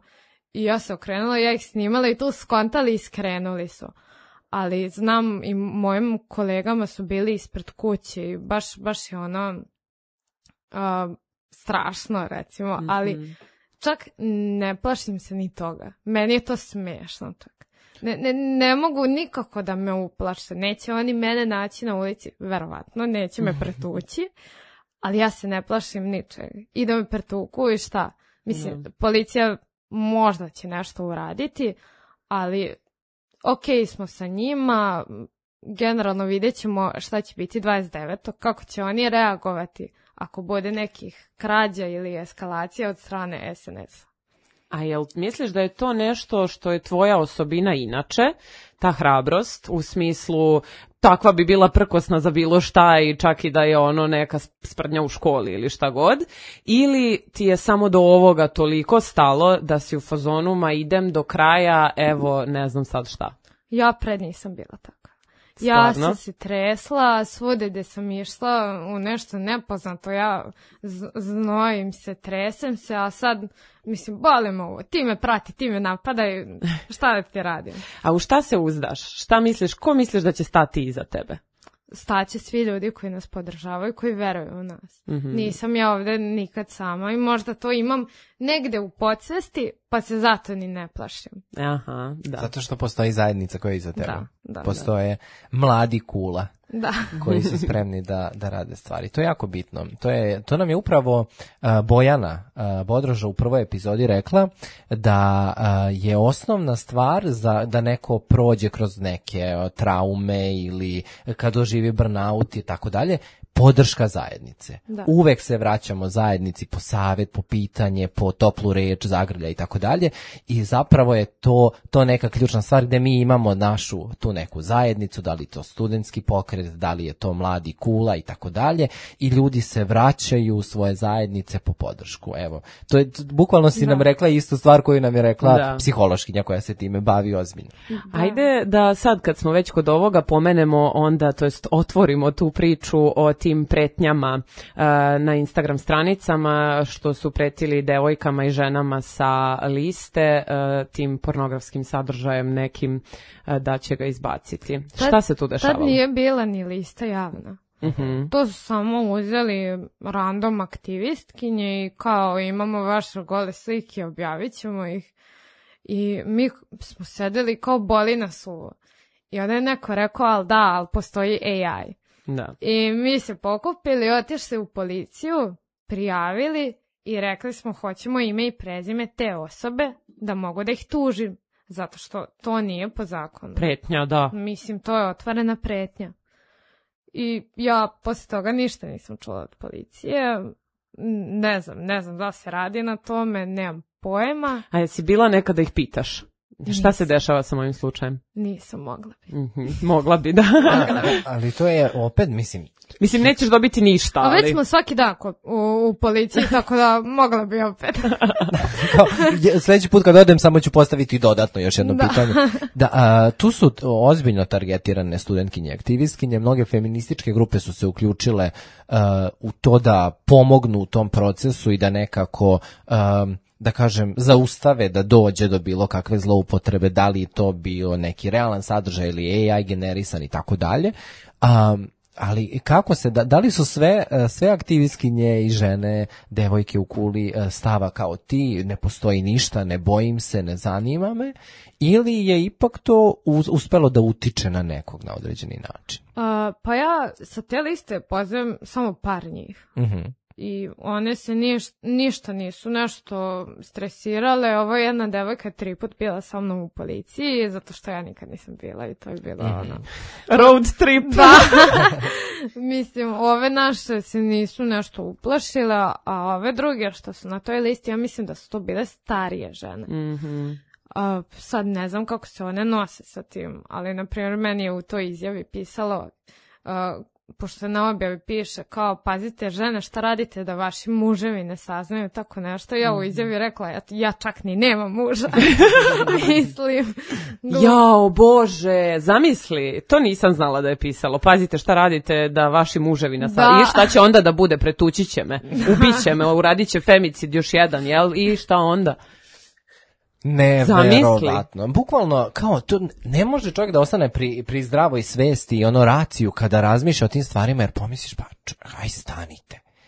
S3: i ja se okrenula, ja ih snimala i tu skontali i skrenuli su. Ali znam i mojim kolegama su bili ispred kuće i baš je strašno recimo, ali čak ne plašim se ni toga. Meni je to smiješno čak. Ne mogu nikako da me uplaše, neće oni mene naći na ulici, verovatno, neće me pretući. Ali ja se ne plašim ničega. I da me pretuku i šta? Mislim, policija možda će nešto uraditi, ali okej smo sa njima, generalno vidjet ćemo šta će biti 29. Kako će oni reagovati ako bude nekih krađa ili eskalacija od strane SNS-a.
S1: A jel misliš da je to nešto što je tvoja osobina inače, ta hrabrost, u smislu takva bi bila prkosna za bilo šta i čak i da je ono neka sprdnja u školi ili šta god, ili ti je samo do ovoga toliko stalo da si u fazonu ma idem do kraja, evo ne znam sad šta?
S3: Ja pred nisam bila tako. Ja sam se tresla, svude gde sam išla u nešto nepoznato, ja znojim se, tresem se, a sad, mislim, boli me ovo, ti me prati, ti me napadaj, šta da ti radim?
S1: A u šta se uzdaš? Šta misliš, ko misliš da će stati iza tebe?
S3: Staće svi ljudi koji nas podržavaju, koji veruju u nas. Nisam ja ovde nikad sama i možda to imam negde u podsvesti, pa se zato ni ne plašim.
S1: Aha, da.
S2: Zato što postoji zajednica koja je iza tebe. Postoje mladi kula koji su spremni da rade stvari. To je jako bitno. To nam je upravo Bojana Bodroža u prvoj epizodi rekla da je osnovna stvar da neko prođe kroz neke traume ili kad doživi burnout i tako dalje. podrška zajednice.
S3: Da.
S2: Uvek se vraćamo zajednici po savjet, po pitanje, po toplu reč, zagrlja i tako dalje i zapravo je to neka ključna stvar gde mi imamo našu tu neku zajednicu, da li to studentski pokret, da li je to mladi Kula i tako dalje i ljudi se vraćaju u svoje zajednice po podršku. Evo, to je bukvalno si nam rekla istu stvar koju nam je rekla psihološkinja koja se time bavi ozbiljno.
S1: Ajde da sad kad smo već kod ovoga pomenemo onda, to jest otvorimo tu priču o tim pretnjama na Instagram stranicama što su pretili devojkama i ženama sa liste tim pornografskim sadržajem nekim da će ga izbaciti. Šta se tu dešavalo?
S3: Tad nije bila ni lista javna. To su samo uzeli random aktivistkinje i kao imamo vaše gole slike, objavit ćemo ih. I mi smo sedeli kao boli nas uvo. I onda je neko rekao, ali postoji AI.
S1: Da.
S3: I mi se pokupili, otišli u policiju, prijavili i rekli smo hoćemo ime i prezime te osobe da mogu da ih tužim. Zato što to nije po zakonu.
S1: Pretnja, da.
S3: Mislim, to je otvorena pretnja. I ja posle toga ništa nisam čula od policije. Ne znam da se radi na tome, nemam pojma.
S1: A jesi bila nekada da ih pitaš? Šta se dešava sa mojim slučajem?
S3: Nisam mogla bi.
S1: Mogla bi, da.
S2: Ali to je opet, mislim,
S1: nećeš dobiti ništa.
S3: A već smo svaki dan u policiji, tako da mogla bi opet.
S2: Sljedeći put kad odem samo ću postaviti dodatno još jedno pitanje. Tu su ozbiljno targetirane studentkinje, aktivistkinje, mnoge feminističke grupe su se uključile u to da pomognu u tom procesu i da nekako da kažem, zaustave da dođe do bilo kakve zloupotrebe, da li to bio neki realan sadržaj ili AI generisan i tako dalje. Ali kako se, da li su sve aktivistkinje i žene, devojke u Kuli stava kao ti, ne postoji ništa, ne bojim se, ne zanima me, ili je ipak to uspelo da utiče na nekog na određeni način?
S3: Pa ja sa te liste pozivam samo par njih. I one se ništa nisu nešto stresirale. Ovo je jedna devojka 3 put bila sa mnom u policiji, zato što ja nikad nisam bila i to je bilo
S1: road trip.
S3: Da. Mislim, ove naše se nisu nešto uplašile, a ove druge što su na toj listi, ja mislim da su to bile starije žene. Sad ne znam kako se one nose sa tim, ali na primjer meni je u toj izjavi pisalo pošto se na objavi piše kao pazite žene šta radite da vaši muževi ne saznaju tako nešto. Ja u izjavi rekla ja čak ni nemam muža. Mislim.
S1: Jao Bože, zamisli, to nisam znala da je pisalo. Pazite šta radite da vaši muževi ne saznaju. I šta će onda da bude, pretući će me, ubit će me, uradit će femicid još jedan, jel? I šta onda?
S2: Neverovatno. Bukvalno, kao, to ne može čovjek da ostane pri zdravoj svesti i raciju kada razmišlja o tim stvarima, jer pomisliš, pa, aj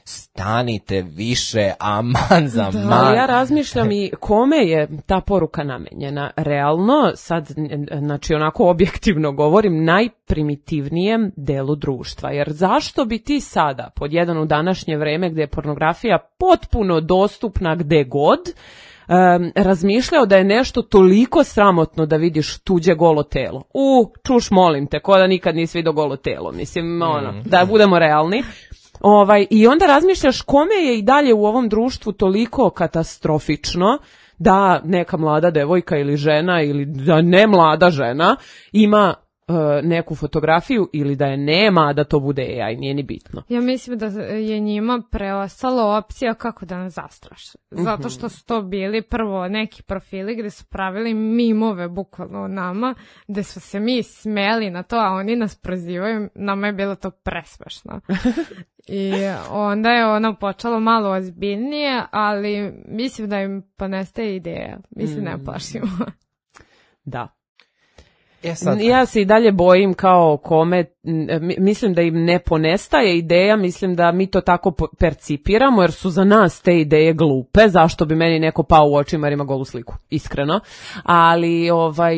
S2: stanite više, aman za man.
S1: Ja razmišljam i kome je ta poruka namenjena. Realno, sad, znači onako objektivno govorim, najprimitivnijem delu društva. Jer zašto bi ti sada, pod jedan u današnje vreme gdje je pornografija potpuno dostupna gde god, razmišljao da je nešto toliko sramotno da vidiš tuđe golo telo. Čuš, molim te, ko da nikad nisi vidio golo telo. Mislim, da budemo realni. I onda razmišljaš kome je i dalje u ovom društvu toliko katastrofično da neka mlada devojka ili žena ili da ne mlada žena ima neku fotografiju ili da je nema, a da to bude AI, nije ni bitno.
S3: Ja mislim da je njima preostala opcija kako da nas zastraše. Zato što su to bili prvo neki profili gde su pravili mimove bukvalno o nama, gde su se mi smeli na to, a oni nas prozivaju, nama je bilo to presmešno. I onda je ono počelo malo ozbiljnije, ali mislim da im ponestaje ideja. Mislim, ne plašimo.
S1: Da. Ja se i dalje bojim kao kome, mislim da im ne ponestaje ideja, mislim da mi to tako percipiramo jer su za nas te ideje glupe, zašto bi meni neko pao u očima jer ima golu sliku, iskreno, ali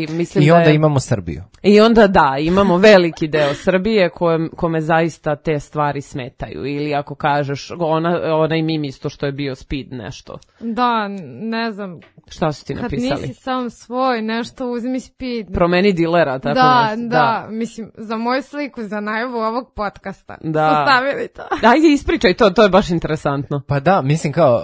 S1: mislim da
S2: I onda imamo Srbiju.
S1: I onda da, imamo veliki deo Srbije kome zaista te stvari smetaju ili ako kažeš onaj mim isto što je bio speed nešto.
S3: Da, ne znam.
S1: Šta su ti napisali?
S3: Kad nisi sam svoj, nešto uzmi speed.
S1: Promeni dilera, tako
S3: da, mislim, za moju sliku muziku za najavu ovog podcasta.
S1: Da.
S3: Postavili to.
S1: Ajde, ispričaj to je baš interesantno.
S2: Pa da, mislim kao,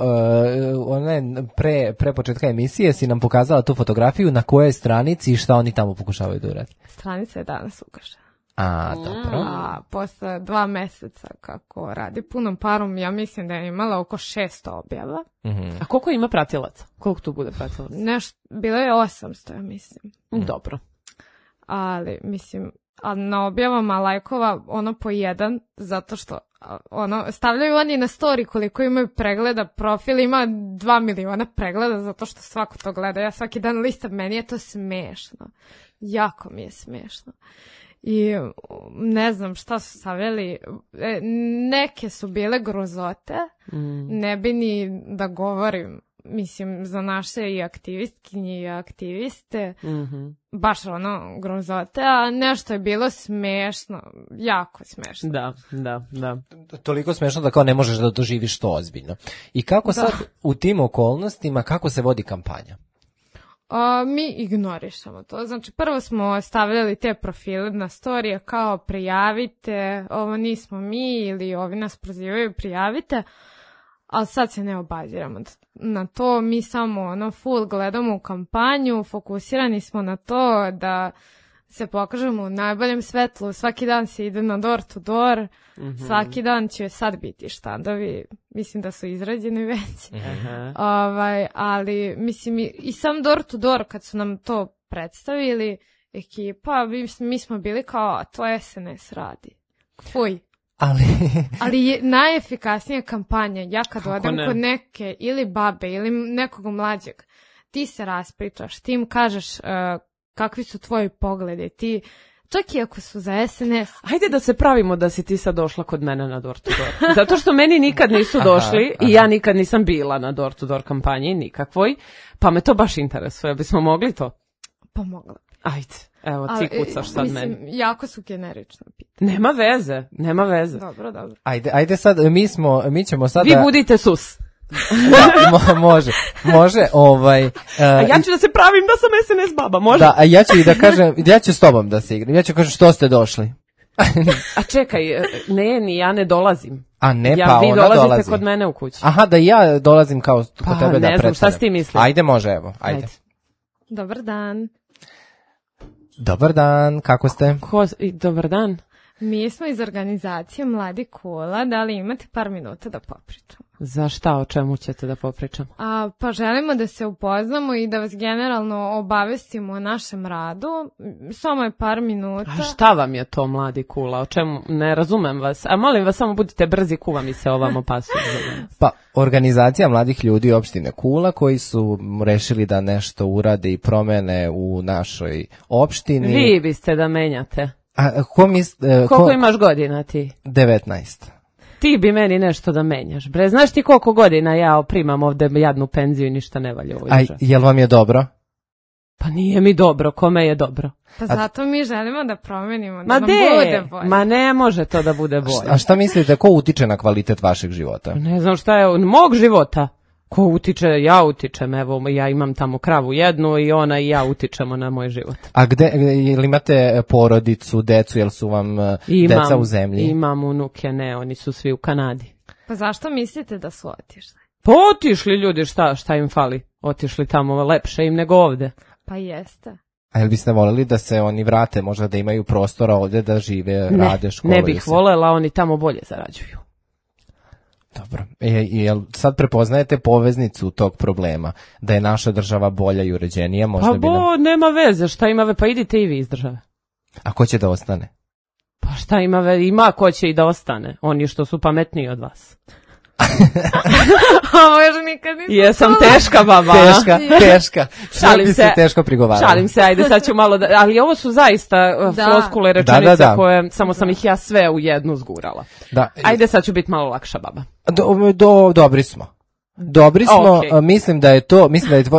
S2: pre početka emisije si nam pokazala tu fotografiju na kojoj stranici i šta oni tamo pokušavaju da uradi.
S3: Stranica je danas ugašena.
S2: A, dobro.
S3: A posle 2 meseca kako radi punom parom, ja mislim da je imala oko 600 objava.
S1: A koliko ima pratilaca? Koliko tu bude pratilaca?
S3: Bilo je 800, ja mislim.
S1: Dobro.
S3: Ali, mislim, na objavama lajkova ono po jedan, zato što stavljaju oni na story koliko imaju pregleda, profil ima 2 miliona pregleda, zato što svako to gleda. Ja svaki dan listam, meni je to smešno. Jako mi je smešno. I ne znam šta su stavljali, neke su bile grozote, ne bi ni da govorim, mislim, za naše i aktivistkinje i aktiviste, baš grozote, a nešto je bilo smešno, jako smešno.
S1: Da.
S2: Toliko smešno da kao ne možeš da doživiš to ozbiljno. I kako sad u tim okolnostima, kako se vodi kampanja?
S3: Mi ignorišemo to. Znači, prvo smo stavljali te profile na storije kao prijavite, ovo nismo mi ili ovi nas prozivaju prijavite, ali sad se ne obaziramo na to. Mi samo full gledamo u kampanju, fokusirani smo na to da se pokažemo u najboljem svetlu, svaki dan se ide na door to door, svaki dan će sad biti štandovi, mislim da su izrađeni već, ali mislim i sam door to door kad su nam to predstavili, ekipa, mi smo bili kao, to SNS radi. Fuj. Ali je najefikasnija kampanja, ja kad odem kod neke ili babe ili nekog mlađeg, ti se raspričaš, ti im kažeš kakvi su tvoji pogledi, ti, čak i ako su za SNS.
S1: Hajde da se pravimo da si ti sad došla kod mene na door to door. Zato što meni nikad nisu došli i ja nikad nisam bila na door to door kampanji, nikakvoj, pa me to baš interesuje. Bismo mogli to?
S3: Pa mogla.
S1: Ajde, evo ti kucaš sad meni.
S3: Mislim, jako su generično pitanje.
S1: Nema veze.
S3: Dobro.
S2: Ajde sad, mi ćemo sad...
S1: Vi budite sus.
S2: Da, može.
S1: A ja ću da se pravim da sam SNS baba, može?
S2: Da, a ja ću i da kažem, ja ću s tobom da se igram, ja ću kažem što ste došli.
S1: A čekaj, ja ne dolazim.
S2: A ne,
S1: ja,
S2: pa ona dolazi.
S1: Vi dolazite kod mene u kući.
S2: Aha, da ja dolazim kao kod tebe da predstavljam.
S1: Ne znam, šta si ti misliš?
S2: Ajde, može, evo, ajde.
S3: Dobar dan.
S2: Dobar dan, kako ste?
S1: Dobar dan.
S3: Mi smo iz organizacije Mladi Kula, da li imate par minuta da popričamo?
S1: Za šta, o čemu ćete da popričamo?
S3: Pa želimo da se upoznamo i da vas generalno obavestimo o našem radu. Samo je par minuta.
S1: A šta vam je to Mladi Kula? O čemu? Ne razumem vas. A molim vas, samo budite brzi, kuva mi se ovamo pasu.
S2: Pa, organizacija mladih ljudi opštine Kula koji su rešili da nešto urade i promene u našoj opštini.
S1: Vi biste da menjate.
S2: A
S1: koliko imaš godina ti?
S2: 19.
S1: Ti bi meni nešto da menjaš, bre. Znaš ti koliko godina ja primam ovde jadnu penziju i ništa ne valja u ovoj državi?
S2: Jel vam je dobro?
S1: Pa nije mi dobro, kome je dobro?
S3: Pa zato mi želimo da promenimo, da nam bude bolje.
S1: Ma ne može to da bude bolje.
S2: A šta mislite, ko utiče na kvalitet vašeg života?
S1: Ne znam šta je, mog života. Ko utiče? Ja utičem, evo, ja imam tamo kravu jednu i ona i ja utičemo na moj život.
S2: A jel imate porodicu, decu, jel su vam deca u zemlji?
S1: Imam unuke, ne, oni su svi u Kanadi.
S3: Pa zašto mislite da su otišli?
S1: Pa otišli ljudi, šta im fali? Otišli tamo, lepše im nego ovde.
S3: Pa jeste.
S2: A jel biste voljeli da se oni vrate, možda da imaju prostora ovde da žive, rade, škole?
S1: Ne bih voljela, oni tamo bolje zarađuju.
S2: Dobro. Jel sad prepoznajete poveznicu tog problema? Da je naša država bolja i uređenija? Možda
S1: nema veze, šta ima veze? Pa idite i vi iz države.
S2: A ko će da ostane?
S1: Pa šta ima veze? Ima ko će i da ostane. Oni što su pametniji od vas.
S3: Ovo još nikad nisam.
S1: Jesam teška baba.
S2: Teška. Šalim se. Teško prigovarala.
S1: Šalim se, ajde sad ću malo ali ovo su zaista floskule rečenice koje samo sam ih ja sve u jednu zgurala. Da. Ajde sad ću biti malo lakša baba.
S2: Dobri smo. Mislim da je to,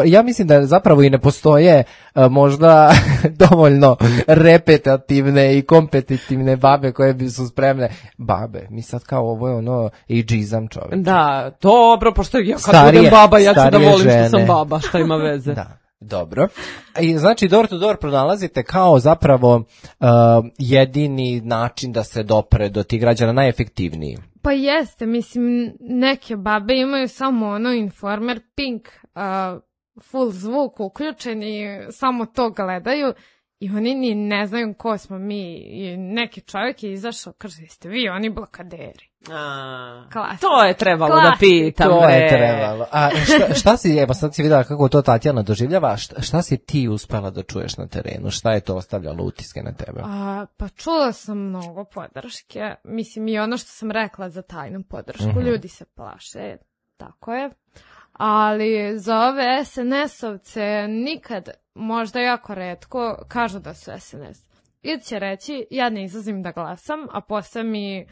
S2: ja mislim da zapravo i ne postoje možda dovoljno repetitivne i kompetitivne babe koje bi su spremne. Babe, mi sad kao ovo je ono ageizam čovječe.
S1: Da, dobro, pošto ja kad budem baba, ja ću da volim žene. Što sam baba, šta ima veze.
S2: Dobro. I znači door to door pronalazite kao zapravo jedini način da se dopre do tih građana, najefektivniji.
S3: Pa jeste, mislim, neke babe imaju samo ono Informer Pink, full zvuk uključen i samo to gledaju i oni ni ne znaju ko smo mi. I neki čovjek je izašao, kaže, jeste vi oni blokaderi.
S1: To je trebalo da pitam.
S2: To je trebalo. A šta si, evo sad si videla kako to Tatjana doživljava, šta si ti uspela da čuješ na terenu? Šta je to ostavljalo utiske na tebe?
S3: Pa čula sam mnogo podrške. Mislim, i ono što sam rekla za tajnu podršku. Ljudi se plaše, tako je. Ali za ove SNS-ovce nikad, možda jako retko, kažu da su SNS. Ili će reći, ja ne izlazim da glasam, a posle mi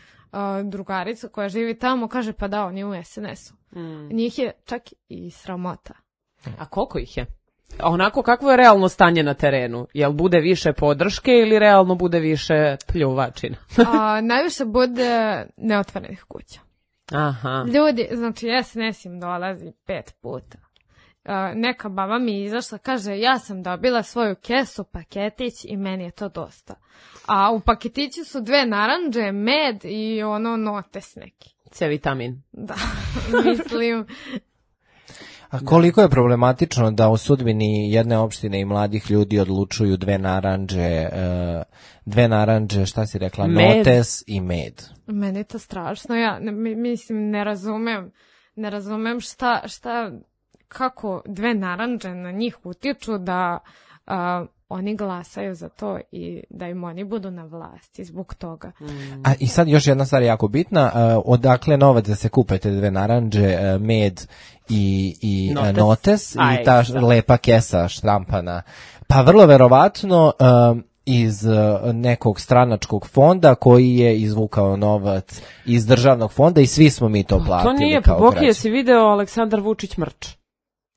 S3: drugarica koja živi tamo kaže, pa da, on je u SNS-u. Njih je čak i sramota.
S1: A koliko ih je? Onako, kakvo je realno stanje na terenu? Jel bude više podrške ili realno bude više pljuvačina?
S3: Najviše bude neotvorenih kuća.
S1: Aha.
S3: Ljudi, znači SNS im dolazi 5 puta. Neka baba mi je izašla, kaže, ja sam dobila svoju kesu, paketić i meni je to dosta. A u paketiću su 2 narandže, med i ono notes neki.
S1: C-vitamin.
S3: Da, mislim.
S2: A koliko je problematično da u sudbini jedne opštine i mladih ljudi odlučuju 2 narandže, šta si rekla, med. Notes i med?
S3: Meni je to strašno, ja mislim ne razumem šta kako 2 narandže na njih utiču da oni glasaju za to i da im oni budu na vlasti zbog toga.
S2: A i sad još jedna stvar jako bitna, odakle novac da se kupe te 2 narandže, med i notes i ta lepa kesa štrampana? Pa vrlo verovatno iz nekog stranačkog fonda koji je izvukao novac iz državnog fonda i svi smo mi to platili.
S1: To nije, Boki, jesi video Aleksandar Vučić mrč?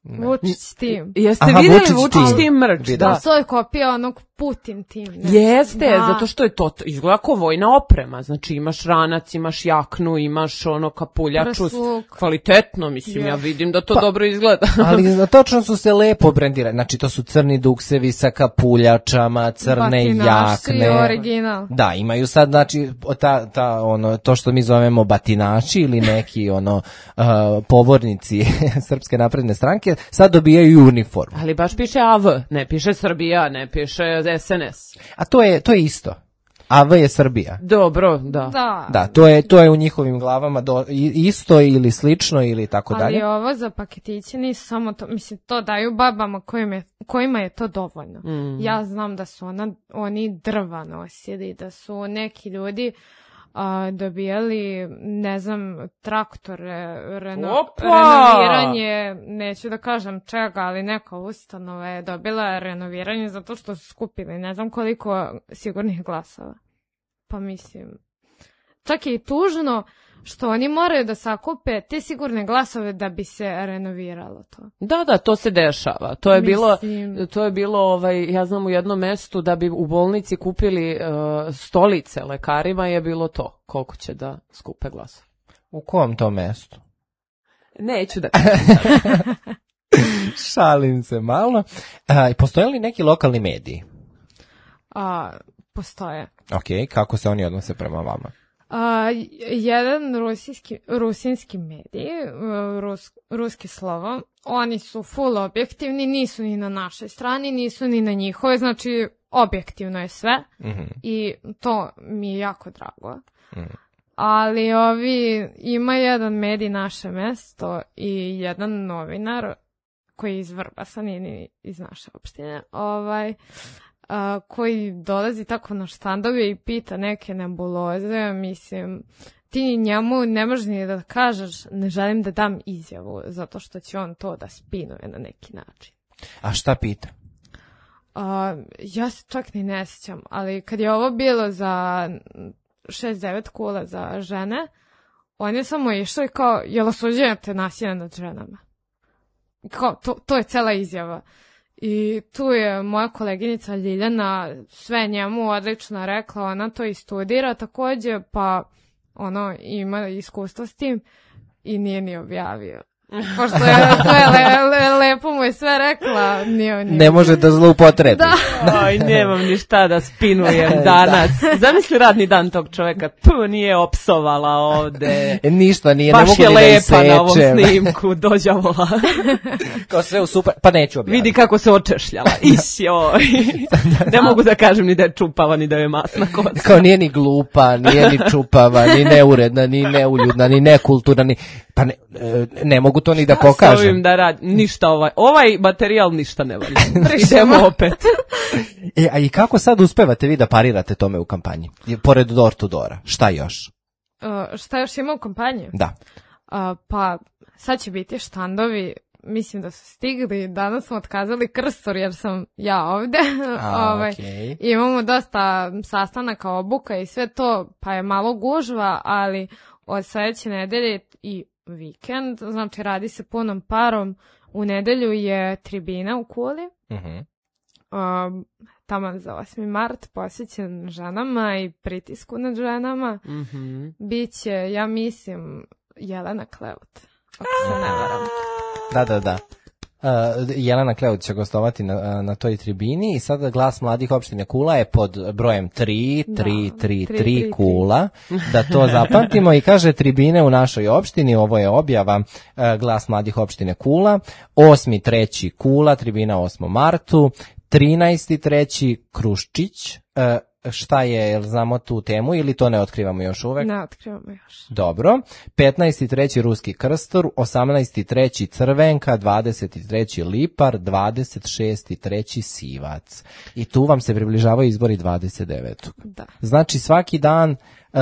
S3: Vučić tim.
S1: Jeste vidjeli Vučić tim mrč?
S3: Da. To je kopija onog Putin tim.
S1: Jeste, zato što je to izgleda kao vojna oprema. Znači imaš ranac, imaš jaknu, imaš ono kapuljaču. Kvalitetno, mislim, ja vidim da to dobro izgleda.
S2: Ali točno su se lepo brendirali. Znači to su crni duksevi sa kapuljačama, crne jakne.
S3: Original.
S2: Da, imaju sad, znači, to što mi zovemo batinači ili neki povornici Srpske napredne stranke, sad dobijaju uniformu.
S1: Ali baš piše AV, ne piše Srbija, ne piše SNS.
S2: A to je isto. AV je Srbija.
S1: Dobro, da.
S2: Da, to je u njihovim glavama isto ili slično ili tako dalje.
S3: Ali ovo za paketiće nisu samo to, mislim, to daju babama kojima je to dovoljno. Ja znam da su oni drva nosili, da su neki ljudi dobijali, ne znam, traktore, renoviranje, neću da kažem čega, ali neka ustanova je dobila renoviranje zato što su skupili ne znam koliko sigurnih glasova. Pa mislim, čak je i tužno što oni moraju da sakupe te sigurne glasove da bi se renoviralo to.
S1: Da, to se dešava. To je bilo, ja znam, u jednom mestu da bi u bolnici kupili stolice lekarima je bilo to. Koliko će da skupe glasove.
S2: U kom to mestu?
S1: Neću da
S2: šalim se malo. Postoje li neki lokalni mediji?
S3: Postoje.
S2: Ok, kako se oni odnose prema vama?
S3: Jedan rusinski medij, ruski slovo, oni su full objektivni, nisu ni na našoj strani, nisu ni na njihove, znači objektivno je sve i to mi je jako drago. Ali ima jedan medij Naše mesto i jedan novinar koji je iz Vrbasa, nije iz naše opštine, koji dolazi tako na štandove i pita neke nebuloze, mislim, ti njemu ne možeš ni da kažeš ne želim da dam izjavu, zato što će on to da spinuje na neki način.
S2: A šta pita?
S3: Ja se čak ni ne sjećam, ali kad je ovo bilo za 6-9 kula za žene, on je samo išao i kao, jel osuđujete nasilje nad ženama? Kao, to je cela izjava. I tu je moja koleginica Ljiljana sve njemu odlično rekla, ona to i studira također, pa ima iskustvo s tim i nije ni objavio. Pošto je sve lepo mu je sve rekla.
S2: Ne može da zloupotrebi.
S3: Da.
S1: Oj, nemam ništa da spinujem danas. Zamisli radni dan tog čoveka. Nije opsovala ovde.
S2: Ništa nije,
S1: baš
S2: ne mogu ni da
S1: isečem. Baš je lepa na ovom snimku, dođavola.
S2: Kao sve u super, pa neću objaviti.
S1: Vidi kako se očešljala. Isjoj. Ne mogu da kažem ni da je čupava, ni da je masna kosa.
S2: Kao nije ni glupa, nije ni čupava, ni neuredna, ni neuljudna, ni nekulturna, ni... Pa ne mogu to ni da pokažem.
S1: Sa ovim da radim, ništa ovaj materijal ništa ne valja. Idemo opet.
S2: A i kako sad uspevate vi da parirate tome u kampanji? Pored Door to Doora, šta još?
S3: Šta još ima u kampanji?
S2: Da.
S3: Pa sad će biti štandovi, mislim da su stigli, danas smo otkazali krstor jer sam ja ovde.
S2: Okay.
S3: Imamo dosta sastanaka, obuka i sve to, pa je malo gužva, ali od sledeće nedelje i vikend, znači radi se punom parom. U nedelju je tribina u Kuli, taman za 8. mart, posvećen ženama i pritisku nad ženama. Biće, ja mislim, Jelena Kleut, ako se ne varam.
S2: Da. Jelena Kleut će gostovati na toj tribini i sada Glas mladih opštine Kula je pod brojem 3 Kula, da to zapamtimo i kaže tribine u našoj opštini, ovo je objava Glas mladih opštine Kula, 8.3. Kula, tribina 8. martu, 13.3. Kruščić, šta je, jel znamo tu temu ili to ne otkrivamo još uvek?
S3: Ne otkrivamo još.
S2: Dobro. 15.3. Ruski krstor, 18.3. Crvenka, 23. Lipar, 26.3. Sivac. I tu vam se približavaju izbori 29.
S3: Da.
S2: Znači svaki dan,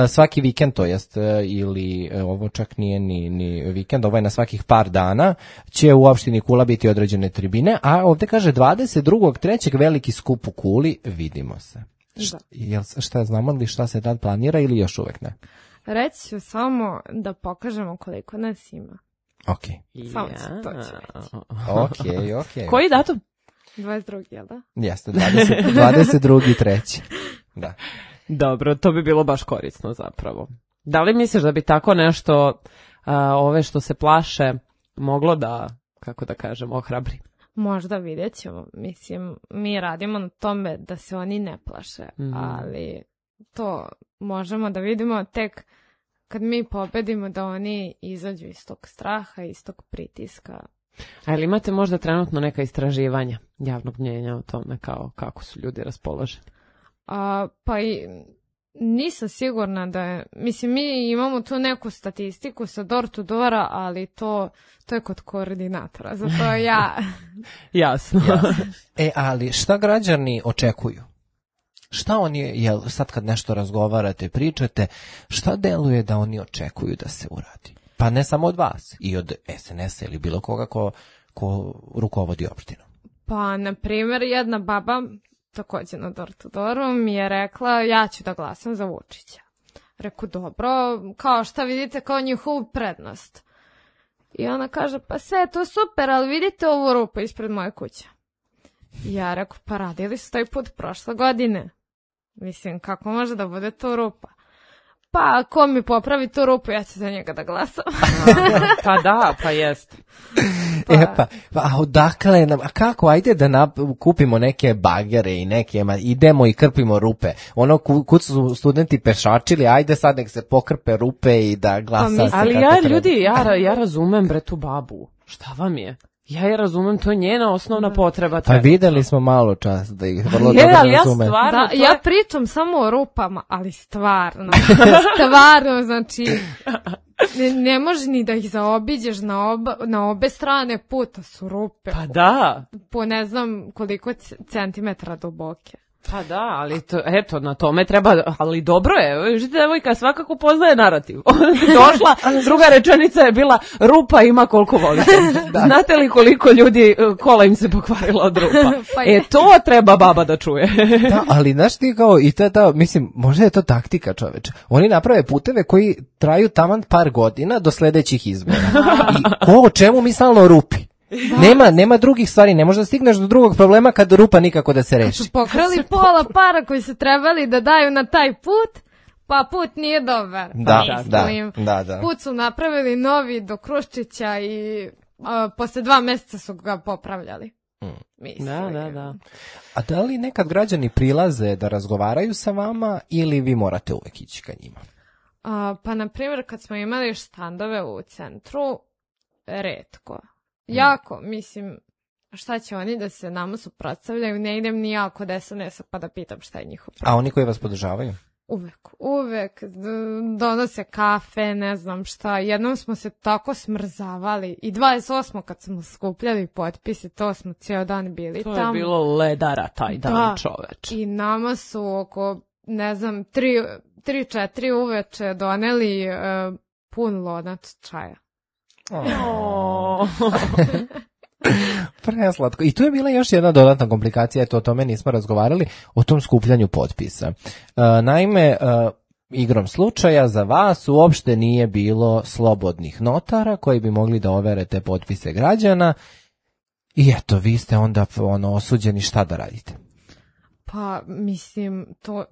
S2: svaki vikend, to jest, ili ovo čak nije ni vikend, ovo je na svakih par dana, će u opštini Kula biti određene tribine, a ovde kaže 22.3. veliki skup u Kuli, vidimo se. Šta znamo li šta se tad planira ili još uvek ne?
S3: Reći ću samo da pokažemo koliko nas ima.
S2: Ok.
S3: Samo ću to ću
S2: reći. Ok.
S1: Koji datum?
S3: 22. jel da?
S2: Jeste, 22.3. Da.
S1: Dobro, to bi bilo baš korisno zapravo. Da li misliš da bi tako nešto, ove što se plaše, moglo da, kako da kažem, ohrabri?
S3: Možda vidjet ćemo. Mislim, mi radimo na tome da se oni ne plaše, ali to možemo da vidimo tek kad mi pobedimo da oni izađu iz tog straha, iz tog pritiska.
S1: A ili imate možda trenutno neka istraživanja javnog mnjenja o tome kako su ljudi raspoloženi?
S3: Pa i nisam sigurna da je, mislim, mi imamo tu neku statistiku sa Door to Doora, ali to je kod koordinatora, zato ja...
S1: Jasno.
S2: Ali šta građani očekuju? Šta oni, sad kad nešto razgovarate, pričate, šta deluje da oni očekuju da se uradi? Pa ne samo od vas, i od SNS-a ili bilo koga ko rukovodi opštinom.
S3: Pa, na primjer, jedna baba, također na Door to Dooru, mi je rekla, ja ću da glasam za Vučića. Reku, dobro, kao šta vidite kao njihovu prednost? I ona kaže, pa sve je to super, ali vidite ovu rupu ispred moje kuće. I ja reku, pa radili su taj put prošle godine. Mislim, kako može da bude to rupa? Pa, ako mi popravi tu rupu, ja ću za njega da glasam.
S1: Pa da, pa jest.
S2: Pa odakle nam, a kako, ajde da kupimo neke bagere i neke, idemo i krpimo rupe. Ono, kud su studenti pešačili, ajde sad nek se pokrpe rupe i da glasa.
S1: Ali ja razumem bre tu babu. Šta vam je? Ja je razumem, to je njena osnovna potreba.
S2: Pa videli smo malo čas da ih vrlo dobro razumem.
S3: Ja pričam samo o rupama, ali stvarno, znači, ne može ni da ih zaobiđeš na obe strane puta su rupe.
S1: Pa da.
S3: Po ne znam koliko centimetra duboke.
S1: Pa da, ali eto, na tome treba, ali dobro je, vidite, devojka svakako poznaje narativ. Došla, druga rečenica je bila, rupa ima koliko volite. Znate li koliko ljudi, kola im se pokvarila od rupa? To treba baba da čuje.
S2: Da, ali znaš ti kao, i to, mislim, možda je to taktika, čoveče. Oni naprave puteve koji traju taman par godina do sledećih izbora. I o čemu mi stalno rupi? Nema drugih stvari, ne možeš da stigneš do drugog problema kad rupa nikako da se reši.
S3: Pokrali pola para koji su trebali da daju na taj put, pa put nije dobar.
S2: Da.
S3: Put su napravili novi do Kruščića i posle 2 meseca su ga popravljali. Mislim.
S1: Da.
S2: A da li nekad građani prilaze da razgovaraju sa vama ili vi morate uvek ići ka njima?
S3: Pa, na primjer, kad smo imali štandove u centru, retko. Jako, mislim, šta će oni da se nama suprotstavljaju, ne idem ni ja kod SNS-a pa da pitam šta je njihov problem.
S2: A oni koji vas podržavaju?
S3: Uvek donose kafe, ne znam šta. Jednom smo se tako smrzavali i 28. kad smo skupljali potpise, to smo cijel dan bili tamo.
S1: To je bilo ledara taj dan, čoveč.
S3: I nama su oko, ne znam, 3-4 uveče doneli pun lonac čaja.
S2: Preslatko. I tu je bila još jedna dodatna komplikacija, eto o tome nismo razgovarali, o tom skupljanju potpisa. Naime, igrom slučaja za vas uopšte nije bilo slobodnih notara koji bi mogli da overe te potpise građana i eto, vi ste onda osuđeni, šta da radite?
S3: Pa, mislim,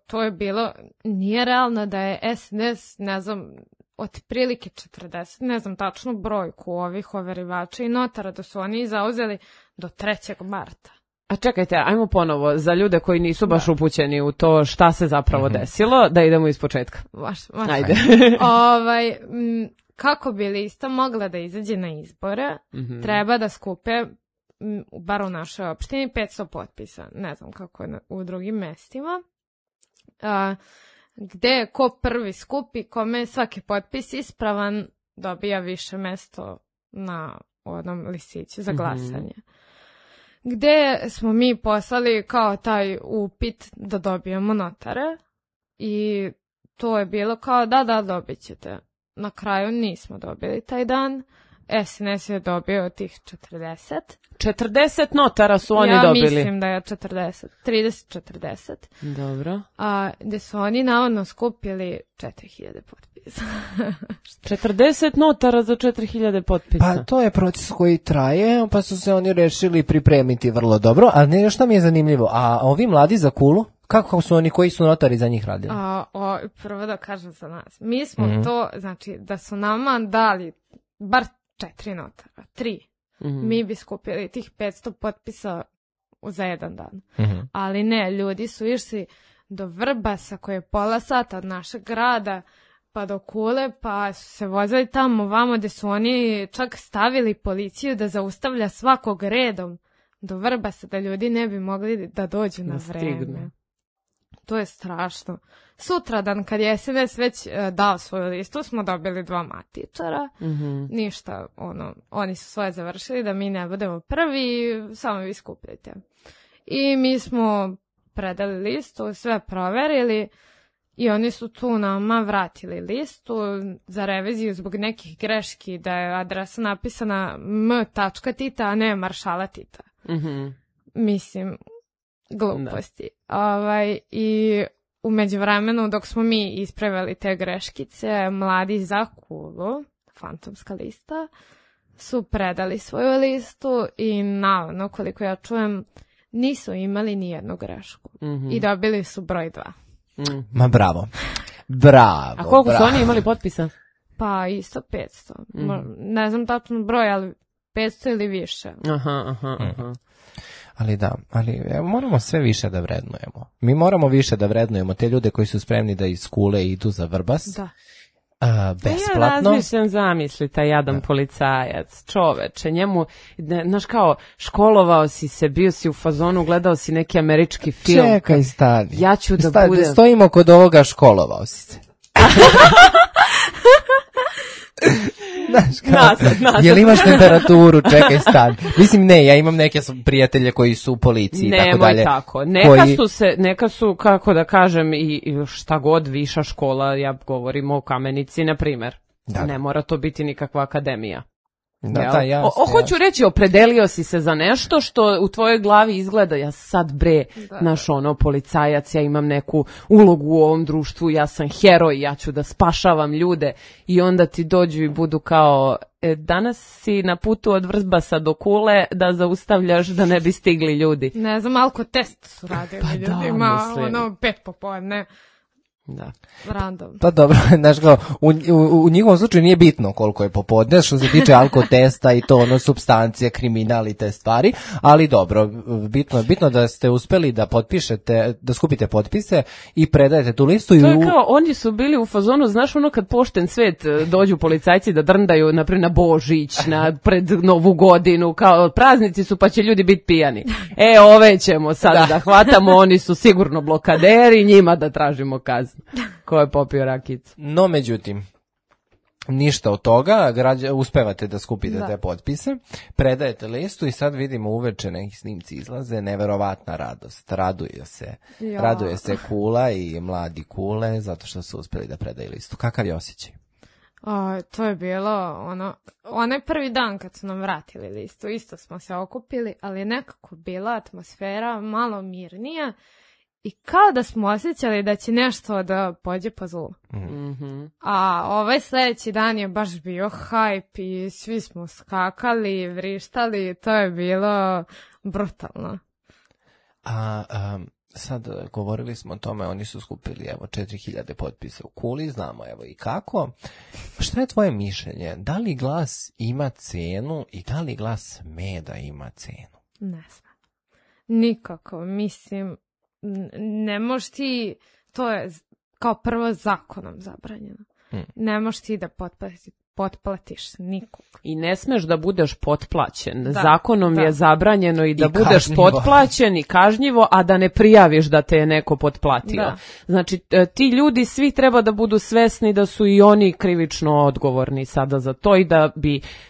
S3: to je bilo, nije realno da je SNS, ne znam, otprilike 40, ne znam tačnu brojku ovih overivača i notara, da su oni zauzeli do 3. marta.
S1: A čekajte, ajmo ponovo, za ljude koji nisu baš upućeni u to šta se zapravo desilo, da idemo iz početka. Ajde.
S3: Kako bi lista mogla da izađe na izbore, treba da skupe, bar u našoj opštini, 500 potpisa. Ne znam kako je u drugim mestima. Gde ko prvi skupi, kome je svaki potpis ispravan, dobija više mesto na onom listiću za glasanje. Gde smo mi poslali kao taj upit da dobijemo notare i to je bilo kao da dobit ćete. Na kraju nismo dobili taj dan. SNS je dobio tih 40.
S1: 40 notara su oni dobili.
S3: Ja mislim da je 40. 30-40.
S1: Dobro.
S3: Gde su oni navodno skupili 4000 potpisa.
S1: 40 notara za 4000 potpisa.
S2: Pa to je proces koji traje, pa su se oni rešili pripremiti vrlo dobro. A ne, što mi je zanimljivo, a ovi mladi za Kulu, kako su oni, koji su notari za njih radili?
S3: Prvo da kažem za nas. Mi smo to, znači, da su nama dali bar 4 notara, 3. Mi bi skupili tih 500 potpisa za jedan dan. Ali ne, ljudi su išli do Vrbasa koji je pola sata od našeg grada pa do Kule, pa su se vozili tamo vamo gde su oni čak stavili policiju da zaustavlja svakog redom do Vrbasa da ljudi ne bi mogli da dođu na vreme. To je strašno. Sutradan, kad je SNS već dao svoju listu, smo dobili 2 matičara. Ništa, oni su svoje završili, da mi ne budemo prvi, samo vi skupljajte. I mi smo predali listu, sve proverili i oni su tu nama vratili listu za reviziju zbog nekih greški, da je adresa napisana m.Tita, a ne Maršala Tita. Mislim, gluposti. I u međuvremenu, dok smo mi ispravili te greškice, mladi za Kulu, fantomska lista, su predali svoju listu i navodno, koliko ja čujem, nisu imali ni jednu grešku. I dobili su broj 2.
S2: Ma bravo. Bravo.
S1: A koliko su oni imali potpisa?
S3: Pa isto 500. Ne znam tačno broj, ali 500 ili više.
S1: Aha.
S2: Ali moramo sve više da vrednujemo. Mi moramo više da vrednujemo te ljude koji su spremni da iz Kule idu za Vrbas.
S3: Da.
S2: Besplatno.
S1: Ja razmišljam, zamisli taj jadan policajac, čoveče, njemu, znaš kao, školovao si se, bio si u fazonu, gledao si neki američki film.
S2: Čekaj, stani.
S1: Ja ću da budem...
S2: Stojimo kod ovoga, školovao si se.
S1: Nasad.
S2: Jel imaš temperaturu, čekaj, stani. Mislim, ne, ja imam neke prijatelje koji su u policiji i tako dalje.
S1: Nemoj tako. Neka su, kako da kažem, i šta god viša škola, ja govorim o Kamenici, na primer. Ne mora to biti nikakva akademija. Hoću reći, opredelio si se za nešto što u tvojoj glavi izgleda, ja sad naš policajac, ja imam neku ulogu u ovom društvu, ja sam heroj, ja ću da spašavam ljude i onda ti dođu i budu kao, danas si na putu od Vrbasa do Kule da zaustavljaš da ne bi stigli ljudi.
S3: Ne znam, alko test su radili ljudima, 5 popodne.
S1: Da.
S3: Random.
S2: Pa dobro, znaš kao, u njihovom slučaju nije bitno koliko je popodne, što se tiče alkotesta i to ono supstancije, kriminal i te stvari, ali dobro, bitno da ste uspeli da potpišete, da skupite potpise i predajete tu listu.
S1: To je kao, oni su bili u fazonu, znaš ono kad pošten svet dođu policajci da drndaju naprijed na Božić, pred Novu godinu, kao praznici su pa će ljudi biti pijani. Ove ćemo sad da hvatamo, oni su sigurno blokaderi, njima da tražimo kaznu. Ko je popio rakicu?
S2: No, međutim, ništa od toga, uspevate da skupite te potpise, predajete listu i sad vidimo uveče neki snimci izlaze, neverovatna radost, raduje se Kula i mladi Kule zato što su uspeli da predaju listu. Kakav je osjećaj?
S3: To je bilo onaj prvi dan kad su nam vratili listu, isto smo se okupili, ali je nekako bila atmosfera malo mirnija i kao da smo osjećali da će nešto da pođe po zlu.
S1: Mm-hmm.
S3: A ovaj sljedeći dan je baš bio hajp i svi smo skakali, vrištali, to je bilo brutalno.
S2: Sad govorili smo o tome, oni su skupili 4000 potpisa u Kuli, znamo i kako. Šta je tvoje mišljenje? Da li glas ima cenu i da li glas meda ima cenu?
S3: Ne znam. Nikako, mislim, ne možeš ti, to je kao prvo zakonom zabranjeno. Ne možeš ti da potplatiš nikog.
S1: I ne smeš da budeš potplaćen. Zakonom je zabranjeno i da budeš potplaćen i kažnjivo, a da ne prijaviš da te je neko potplatio.
S3: Da.
S1: Znači, ti ljudi svi treba da budu svesni da su i oni krivično odgovorni sada za to i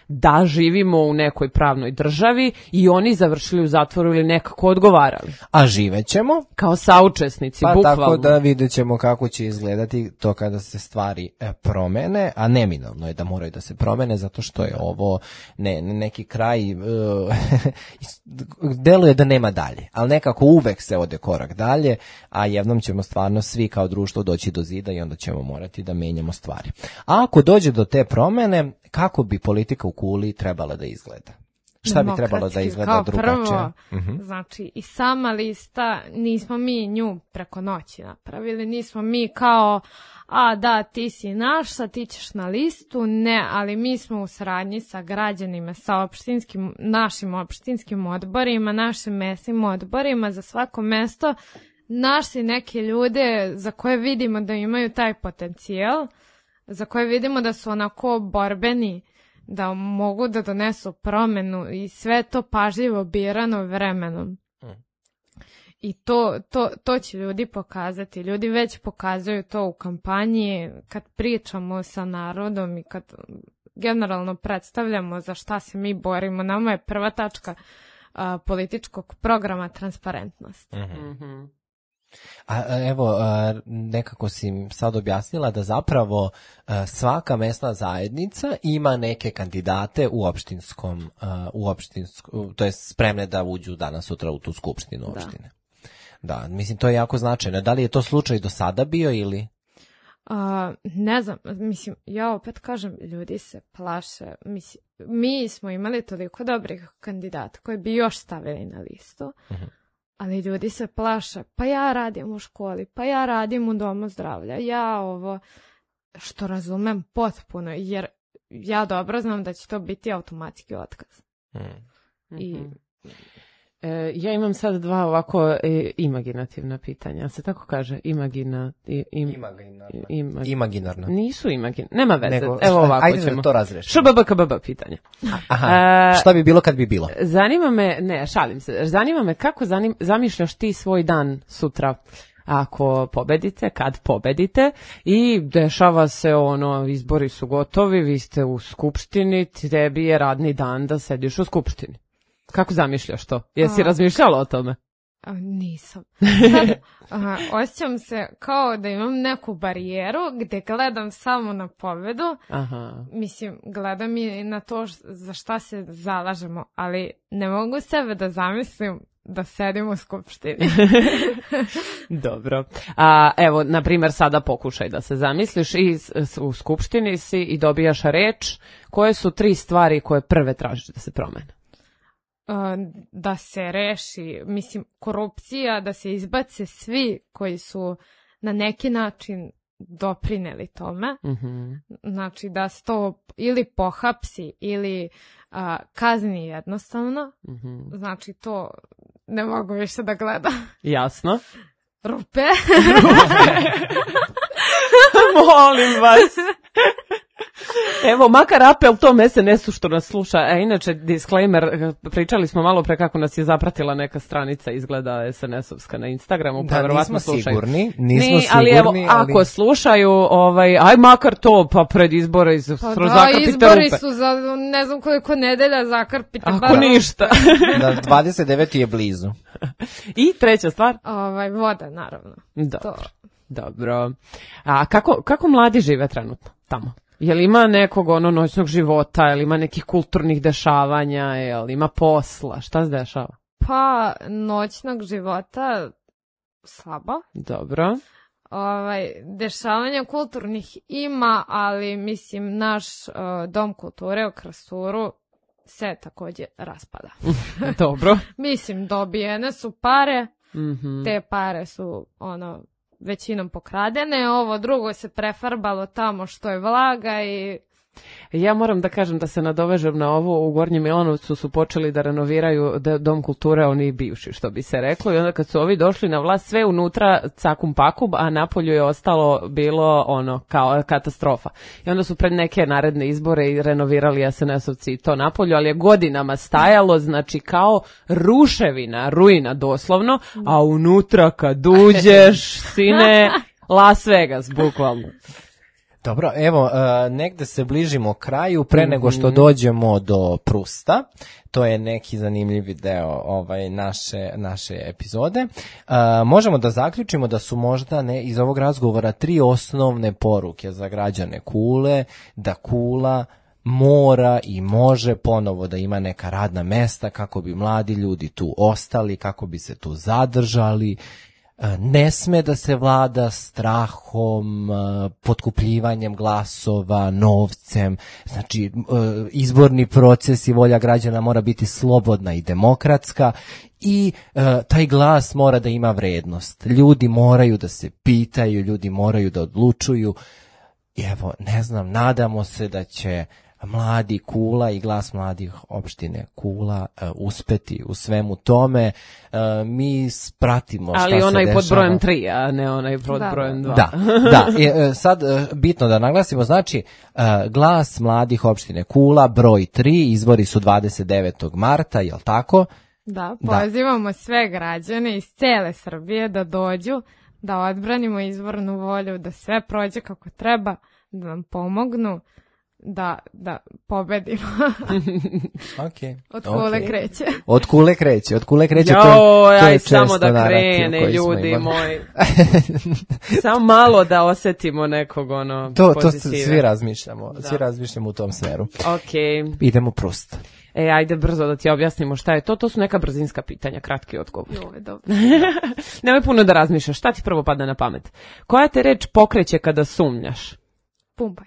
S1: da živimo u nekoj pravnoj državi i oni završili u zatvoru ili nekako odgovarali.
S2: A živećemo?
S1: Kao saučesnici, bukvalno.
S2: Tako da vidjet ćemo kako će izgledati to kada se stvari promene, a neminovno je da moraju da se promene, zato što je ovo neki kraj, deluje da nema dalje, ali nekako uvek se ode korak dalje, a jednom ćemo stvarno svi kao društvo doći do zida i onda ćemo morati da menjamo stvari. A ako dođe do te promene, kako bi politika u Kuli trebala da izgleda? Šta bi trebalo da izgleda drugačije?
S3: Kao prvo, znači i sama lista, nismo mi nju preko noći napravili, nismo mi kao, ti si naš, sad ti ćeš na listu, ne, ali mi smo u saradnji sa građanima, sa našim opštinskim odborima, našim mesnim odborima, za svako mesto našli neke ljude za koje vidimo da imaju taj potencijal, za koje vidimo da su onako borbeni, da mogu da donesu promenu i sve to pažljivo birano vremenom. I to će ljudi pokazati. Ljudi već pokazuju to u kampanji, kad pričamo sa narodom i kad generalno predstavljamo za šta se mi borimo. Nama je prva tačka političkog programa transparentnost.
S2: A evo, nekako si sad objasnila da zapravo svaka mesna zajednica ima neke kandidate u opštinskom, to je spremne da uđu danas sutra u tu skupštinu opštine. Da, mislim, to je jako značajno. Da li je to slučaj do sada bio ili?
S3: Ne znam, mislim, ja opet kažem, ljudi se plaše. Mislim, mi smo imali toliko dobrih kandidata koji bi još stavili na listu, ali ljudi se plaše, pa ja radim u školi, pa ja radim u domu zdravlja, što razumem potpuno, jer ja dobro znam da će to biti automatski otkaz.
S1: Ja imam sad dva ovako imaginativna pitanja. Se tako kaže?
S2: Imaginarna.
S1: Nisu imaginarna. Nema veze. Evo ovako
S2: ajde
S1: ćemo.
S2: Da to razrešimo.
S1: ŠBBKBB pitanja.
S2: Šta bi bilo kad bi bilo?
S1: Zanima me, šalim se, zanima me kako zamišljaš ti svoj dan sutra ako pobedite, kad pobedite i dešava se izbori su gotovi, vi ste u skupštini, tebi je radni dan da sediš u skupštini. Kako zamišljaš to? Jesi razmišljala o tome?
S3: Nisam. Osjećam se kao da imam neku barijeru gdje gledam samo na pobedu. Mislim, gledam i na to za šta se zalažemo, ali ne mogu sebe da zamislim da sedim u skupštini.
S1: Dobro. Evo, na primjer, sada pokušaj da se zamisliš i u skupštini si i dobijaš reč. Koje su 3 stvari koje prve tražiš da se promene?
S3: Da se reši, mislim, korupcija, da se izbace svi koji su na neki način doprineli tome, znači da se to ili pohapsi ili kazni jednostavno, znači to ne mogu više da gledam.
S1: Jasno.
S3: Rupe.
S1: Molim vas. Evo, makar apel tom SNS-u što nas sluša. Inače, disclaimer, pričali smo malo pre kako nas je zapratila neka stranica, izgleda SNS-ovska na Instagramu.
S2: Da, nismo sigurni.
S1: Ali evo, ako slušaju, aj makar to, pa pred izbore zakrpite rupe.
S3: Izbori su za ne znam koliko nedelja, zakrpite.
S1: Ako ništa.
S2: Da, 29. je blizu.
S1: I treća stvar?
S3: Voda, naravno.
S1: Dobro. A kako mladi žive trenutno tamo? Jel ima nekog noćnog života, jel ima nekih kulturnih dešavanja, jel ima posla, šta se dešava?
S3: Pa, noćnog života slabo.
S1: Dobro.
S3: Dešavanja kulturnih ima, ali mislim naš dom kulture u Krasuru se također raspada.
S1: Dobro.
S3: Mislim, dobijene su pare, te pare su većinom pokradene, ovo drugo se prefarbalo tamo što je vlaga i...
S1: Ja moram da kažem da se nadovežem na ovo, u Gornjem Milanovcu su počeli da renoviraju dom kulture, oni bivši, što bi se reklo, i onda kad su ovi došli na vlast, sve unutra cakum pakum, a napolju je ostalo bilo kao katastrofa. I onda su pred neke naredne izbore i renovirali SNS-ovci to napolju, ali je godinama stajalo, znači kao ruševina, ruina doslovno, a unutra kad uđeš, sine, Las Vegas, bukvalno.
S2: Dobro, evo, negde se bližimo kraju, pre nego što dođemo do Prusta, to je neki zanimljivi deo naše epizode. Možemo da zaključimo da su možda iz ovog razgovora 3 osnovne poruke za građane Kule, da Kula mora i može ponovo da ima neka radna mesta kako bi mladi ljudi tu ostali, kako bi se tu zadržali. Ne sme da se vlada strahom, potkupljivanjem glasova, novcem, znači izborni proces i volja građana mora biti slobodna i demokratska i taj glas mora da ima vrednost. Ljudi moraju da se pitaju, ljudi moraju da odlučuju. I evo, ne znam, nadamo se da će mladi Kula i glas mladih opštine Kula uspeti u svemu tome. Mi pratimo šta se dešava.
S1: Ali onaj pod brojem 3, a ne onaj pod brojem 2.
S2: Da. Sad bitno da naglasimo, znači glas mladih opštine Kula, broj 3, izbori su 29. marta, jel tako?
S3: Da, pozivamo sve građane iz cele Srbije da dođu, da odbranimo izbornu volju, da sve prođe kako treba, da nam pomognu, da pobedimo. Od Kule kreće.
S2: Od Kule kreće.
S1: Aj samo da krene, ljudi moji. Samo malo da osetimo nekog pozitive.
S2: To svi razmišljamo. Svi razmišljamo u tom smeru.
S1: Okay.
S2: Idemo Prust.
S1: Ajde brzo da ti objasnimo šta je to. To su neka brzinska pitanja, kratki odgovor.
S3: Dobro.
S1: Nemoj puno da razmišljaš. Šta ti prvo padne na pamet? Koja te reč pokreće kada sumnjaš?
S3: Pumpaj.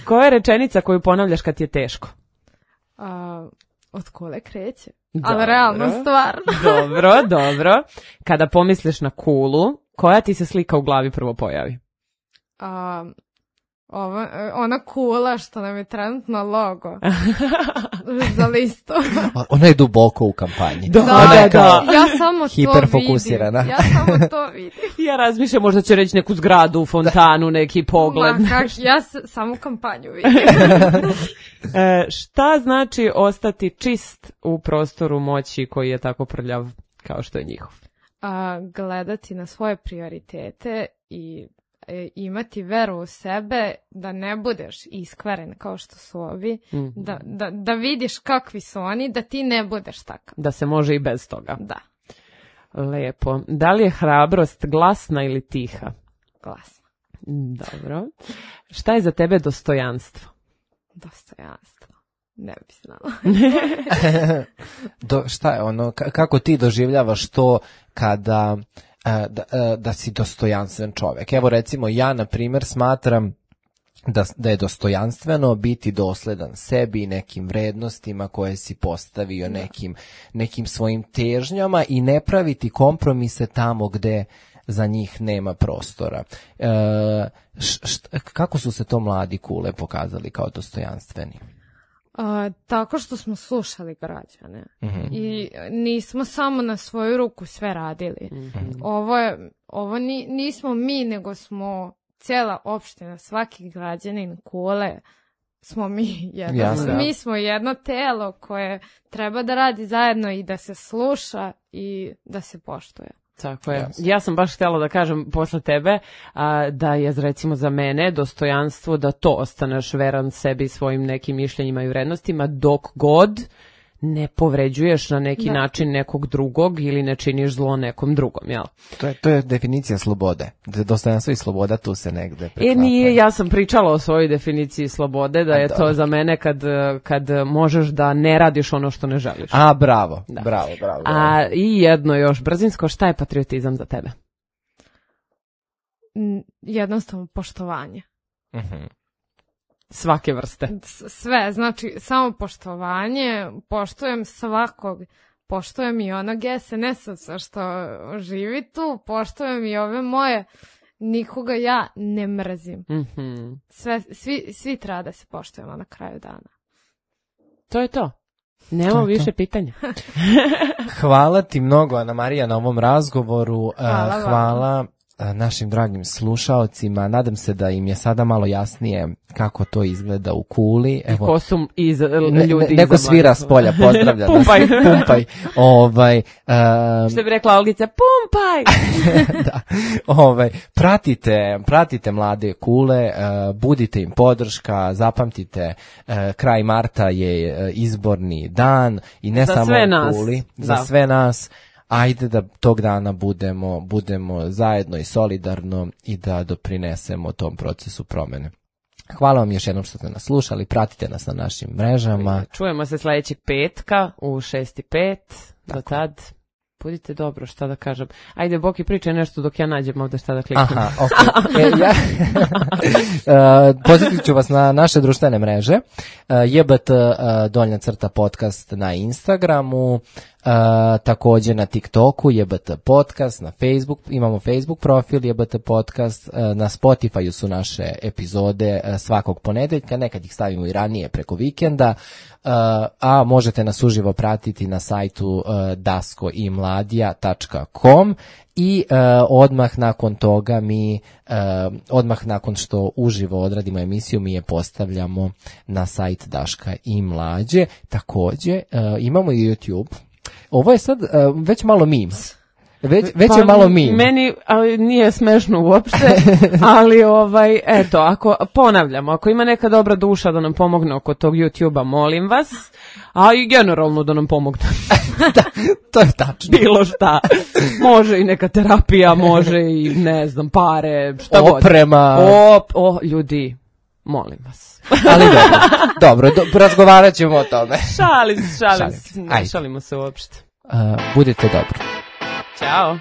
S1: Koja je rečenica koju ponavljaš kad ti je teško?
S3: Od Kule kreće. Ali realno stvarno.
S1: Dobro. Kada pomisliš na Kulu, koja ti se slika u glavi prvo pojavi?
S3: Ona Kula što nam je trenutno logo za listu.
S2: Ona je duboko u kampanji.
S1: Da.
S3: Ja samo
S2: hiperfokusirana.
S3: to vidim.
S1: Ja razmišljam, možda će reći neku zgradu, fontanu, neki pogled.
S3: Ja samo kampanju vidim.
S1: Šta znači ostati čist u prostoru moći koji je tako prljav kao što je njihov?
S3: Gledati na svoje prioritete i imati veru u sebe, da ne budeš iskvaren kao što su ovi, da vidiš kakvi su oni, da ti ne budeš takav.
S1: Da se može i bez toga.
S3: Da.
S1: Lepo. Da li je hrabrost glasna ili tiha?
S3: Glasna.
S1: Dobro. Šta je za tebe dostojanstvo?
S3: Dostojanstvo. Ne bi znala.
S2: Šta je ono, kako ti doživljavaš to kada da si dostojanstven čovjek? Evo recimo ja na primjer smatram da je dostojanstveno biti dosledan sebi i nekim vrednostima koje si postavio, nekim svojim težnjama i ne praviti kompromise tamo gde za njih nema prostora. Kako su se to mladi Kule pokazali kao dostojanstveni?
S3: Tako što smo slušali građane i nismo samo na svoju ruku sve radili. Ovo nismo mi, nego smo cijela opština, svaki građanin Kule smo mi. Mi smo jedno telo koje treba da radi zajedno i da se sluša i da se poštuje.
S1: Tako je. Ja sam baš htjela da kažem posle tebe da je recimo za mene dostojanstvo da to ostaneš veran sebi, svojim nekim mišljenjima i vrednostima dok god ne povređuješ na neki način nekog drugog ili ne činiš zlo nekom drugom, jel?
S2: To je definicija slobode. Dostojanstvo i sloboda tu se negde preklapaju.
S1: Nije, ja sam pričala o svojoj definiciji slobode, da je to za mene kad možeš da ne radiš ono što ne želiš.
S2: Bravo. I
S1: jedno još brzinsko, šta je patriotizam za tebe?
S3: Jednostavno poštovanje.
S1: Svake vrste.
S3: Sve, znači samo poštovanje, poštujem svakog, poštujem i onog SNS-a što živi tu, poštujem i ove moje, nikoga ja ne mrzim. Svi treba da se poštujemo na kraju dana.
S1: To je to. Nema više pitanja.
S2: Hvala ti mnogo, Ana Marija, na ovom razgovoru. Hvala našim dragim slušaocima. Nadam se da im je sada malo jasnije kako to izgleda u Kuli.
S1: Evo, ko su ljudi
S2: neko svira s polja, pozdravlja.
S1: Pumpaj.
S2: Pumpaj.
S1: Što bi rekla Olgica, pumpaj!
S2: Da. Pratite mlade Kule, budite im podrška, zapamtite, kraj marta je izborni dan i ne samo u Kuli, za sve nas. Ajde da tog dana budemo zajedno i solidarno i da doprinesemo tom procesu promene. Hvala vam još jednom što ste nas slušali, pratite nas na našim mrežama.
S1: Čujemo se sljedećeg petka u 6:05, do tad budite dobro, šta da kažem. Ajde, Boki, pričaj nešto dok ja nađem ovdje šta da kliknem.
S2: Pozitit ću vas na naše društvene mreže, JBT_podcast na Instagramu, također na TikToku JBT podcast, na Facebook, imamo Facebook profil JBT podcast, na Spotifyu su naše epizode svakog ponedeljka, nekad ih stavimo i ranije preko vikenda, a možete nas uživo pratiti na sajtu daskoimladija.com i odmah nakon toga odmah nakon što uživo odradimo emisiju mi je postavljamo na sajt Daška i Mlađe. Također imamo i YouTube. Ovo je sad već malo meme. Već je malo meme.
S1: Meni nije smešno uopšte, ali eto, ako ima neka dobra duša da nam pomogne oko tog YouTube-a, molim vas, a i generalno da nam pomogne.
S2: Da, to je tačno.
S1: Bilo šta. Može i neka terapija, može i ne znam, pare, šta god.
S2: Oprema.
S1: Ljudi, molim vas.
S2: Ali dobro, razgovarat ćemo o tome.
S1: Šalimo se uopšte.
S2: Budite dobro.
S1: Ćao.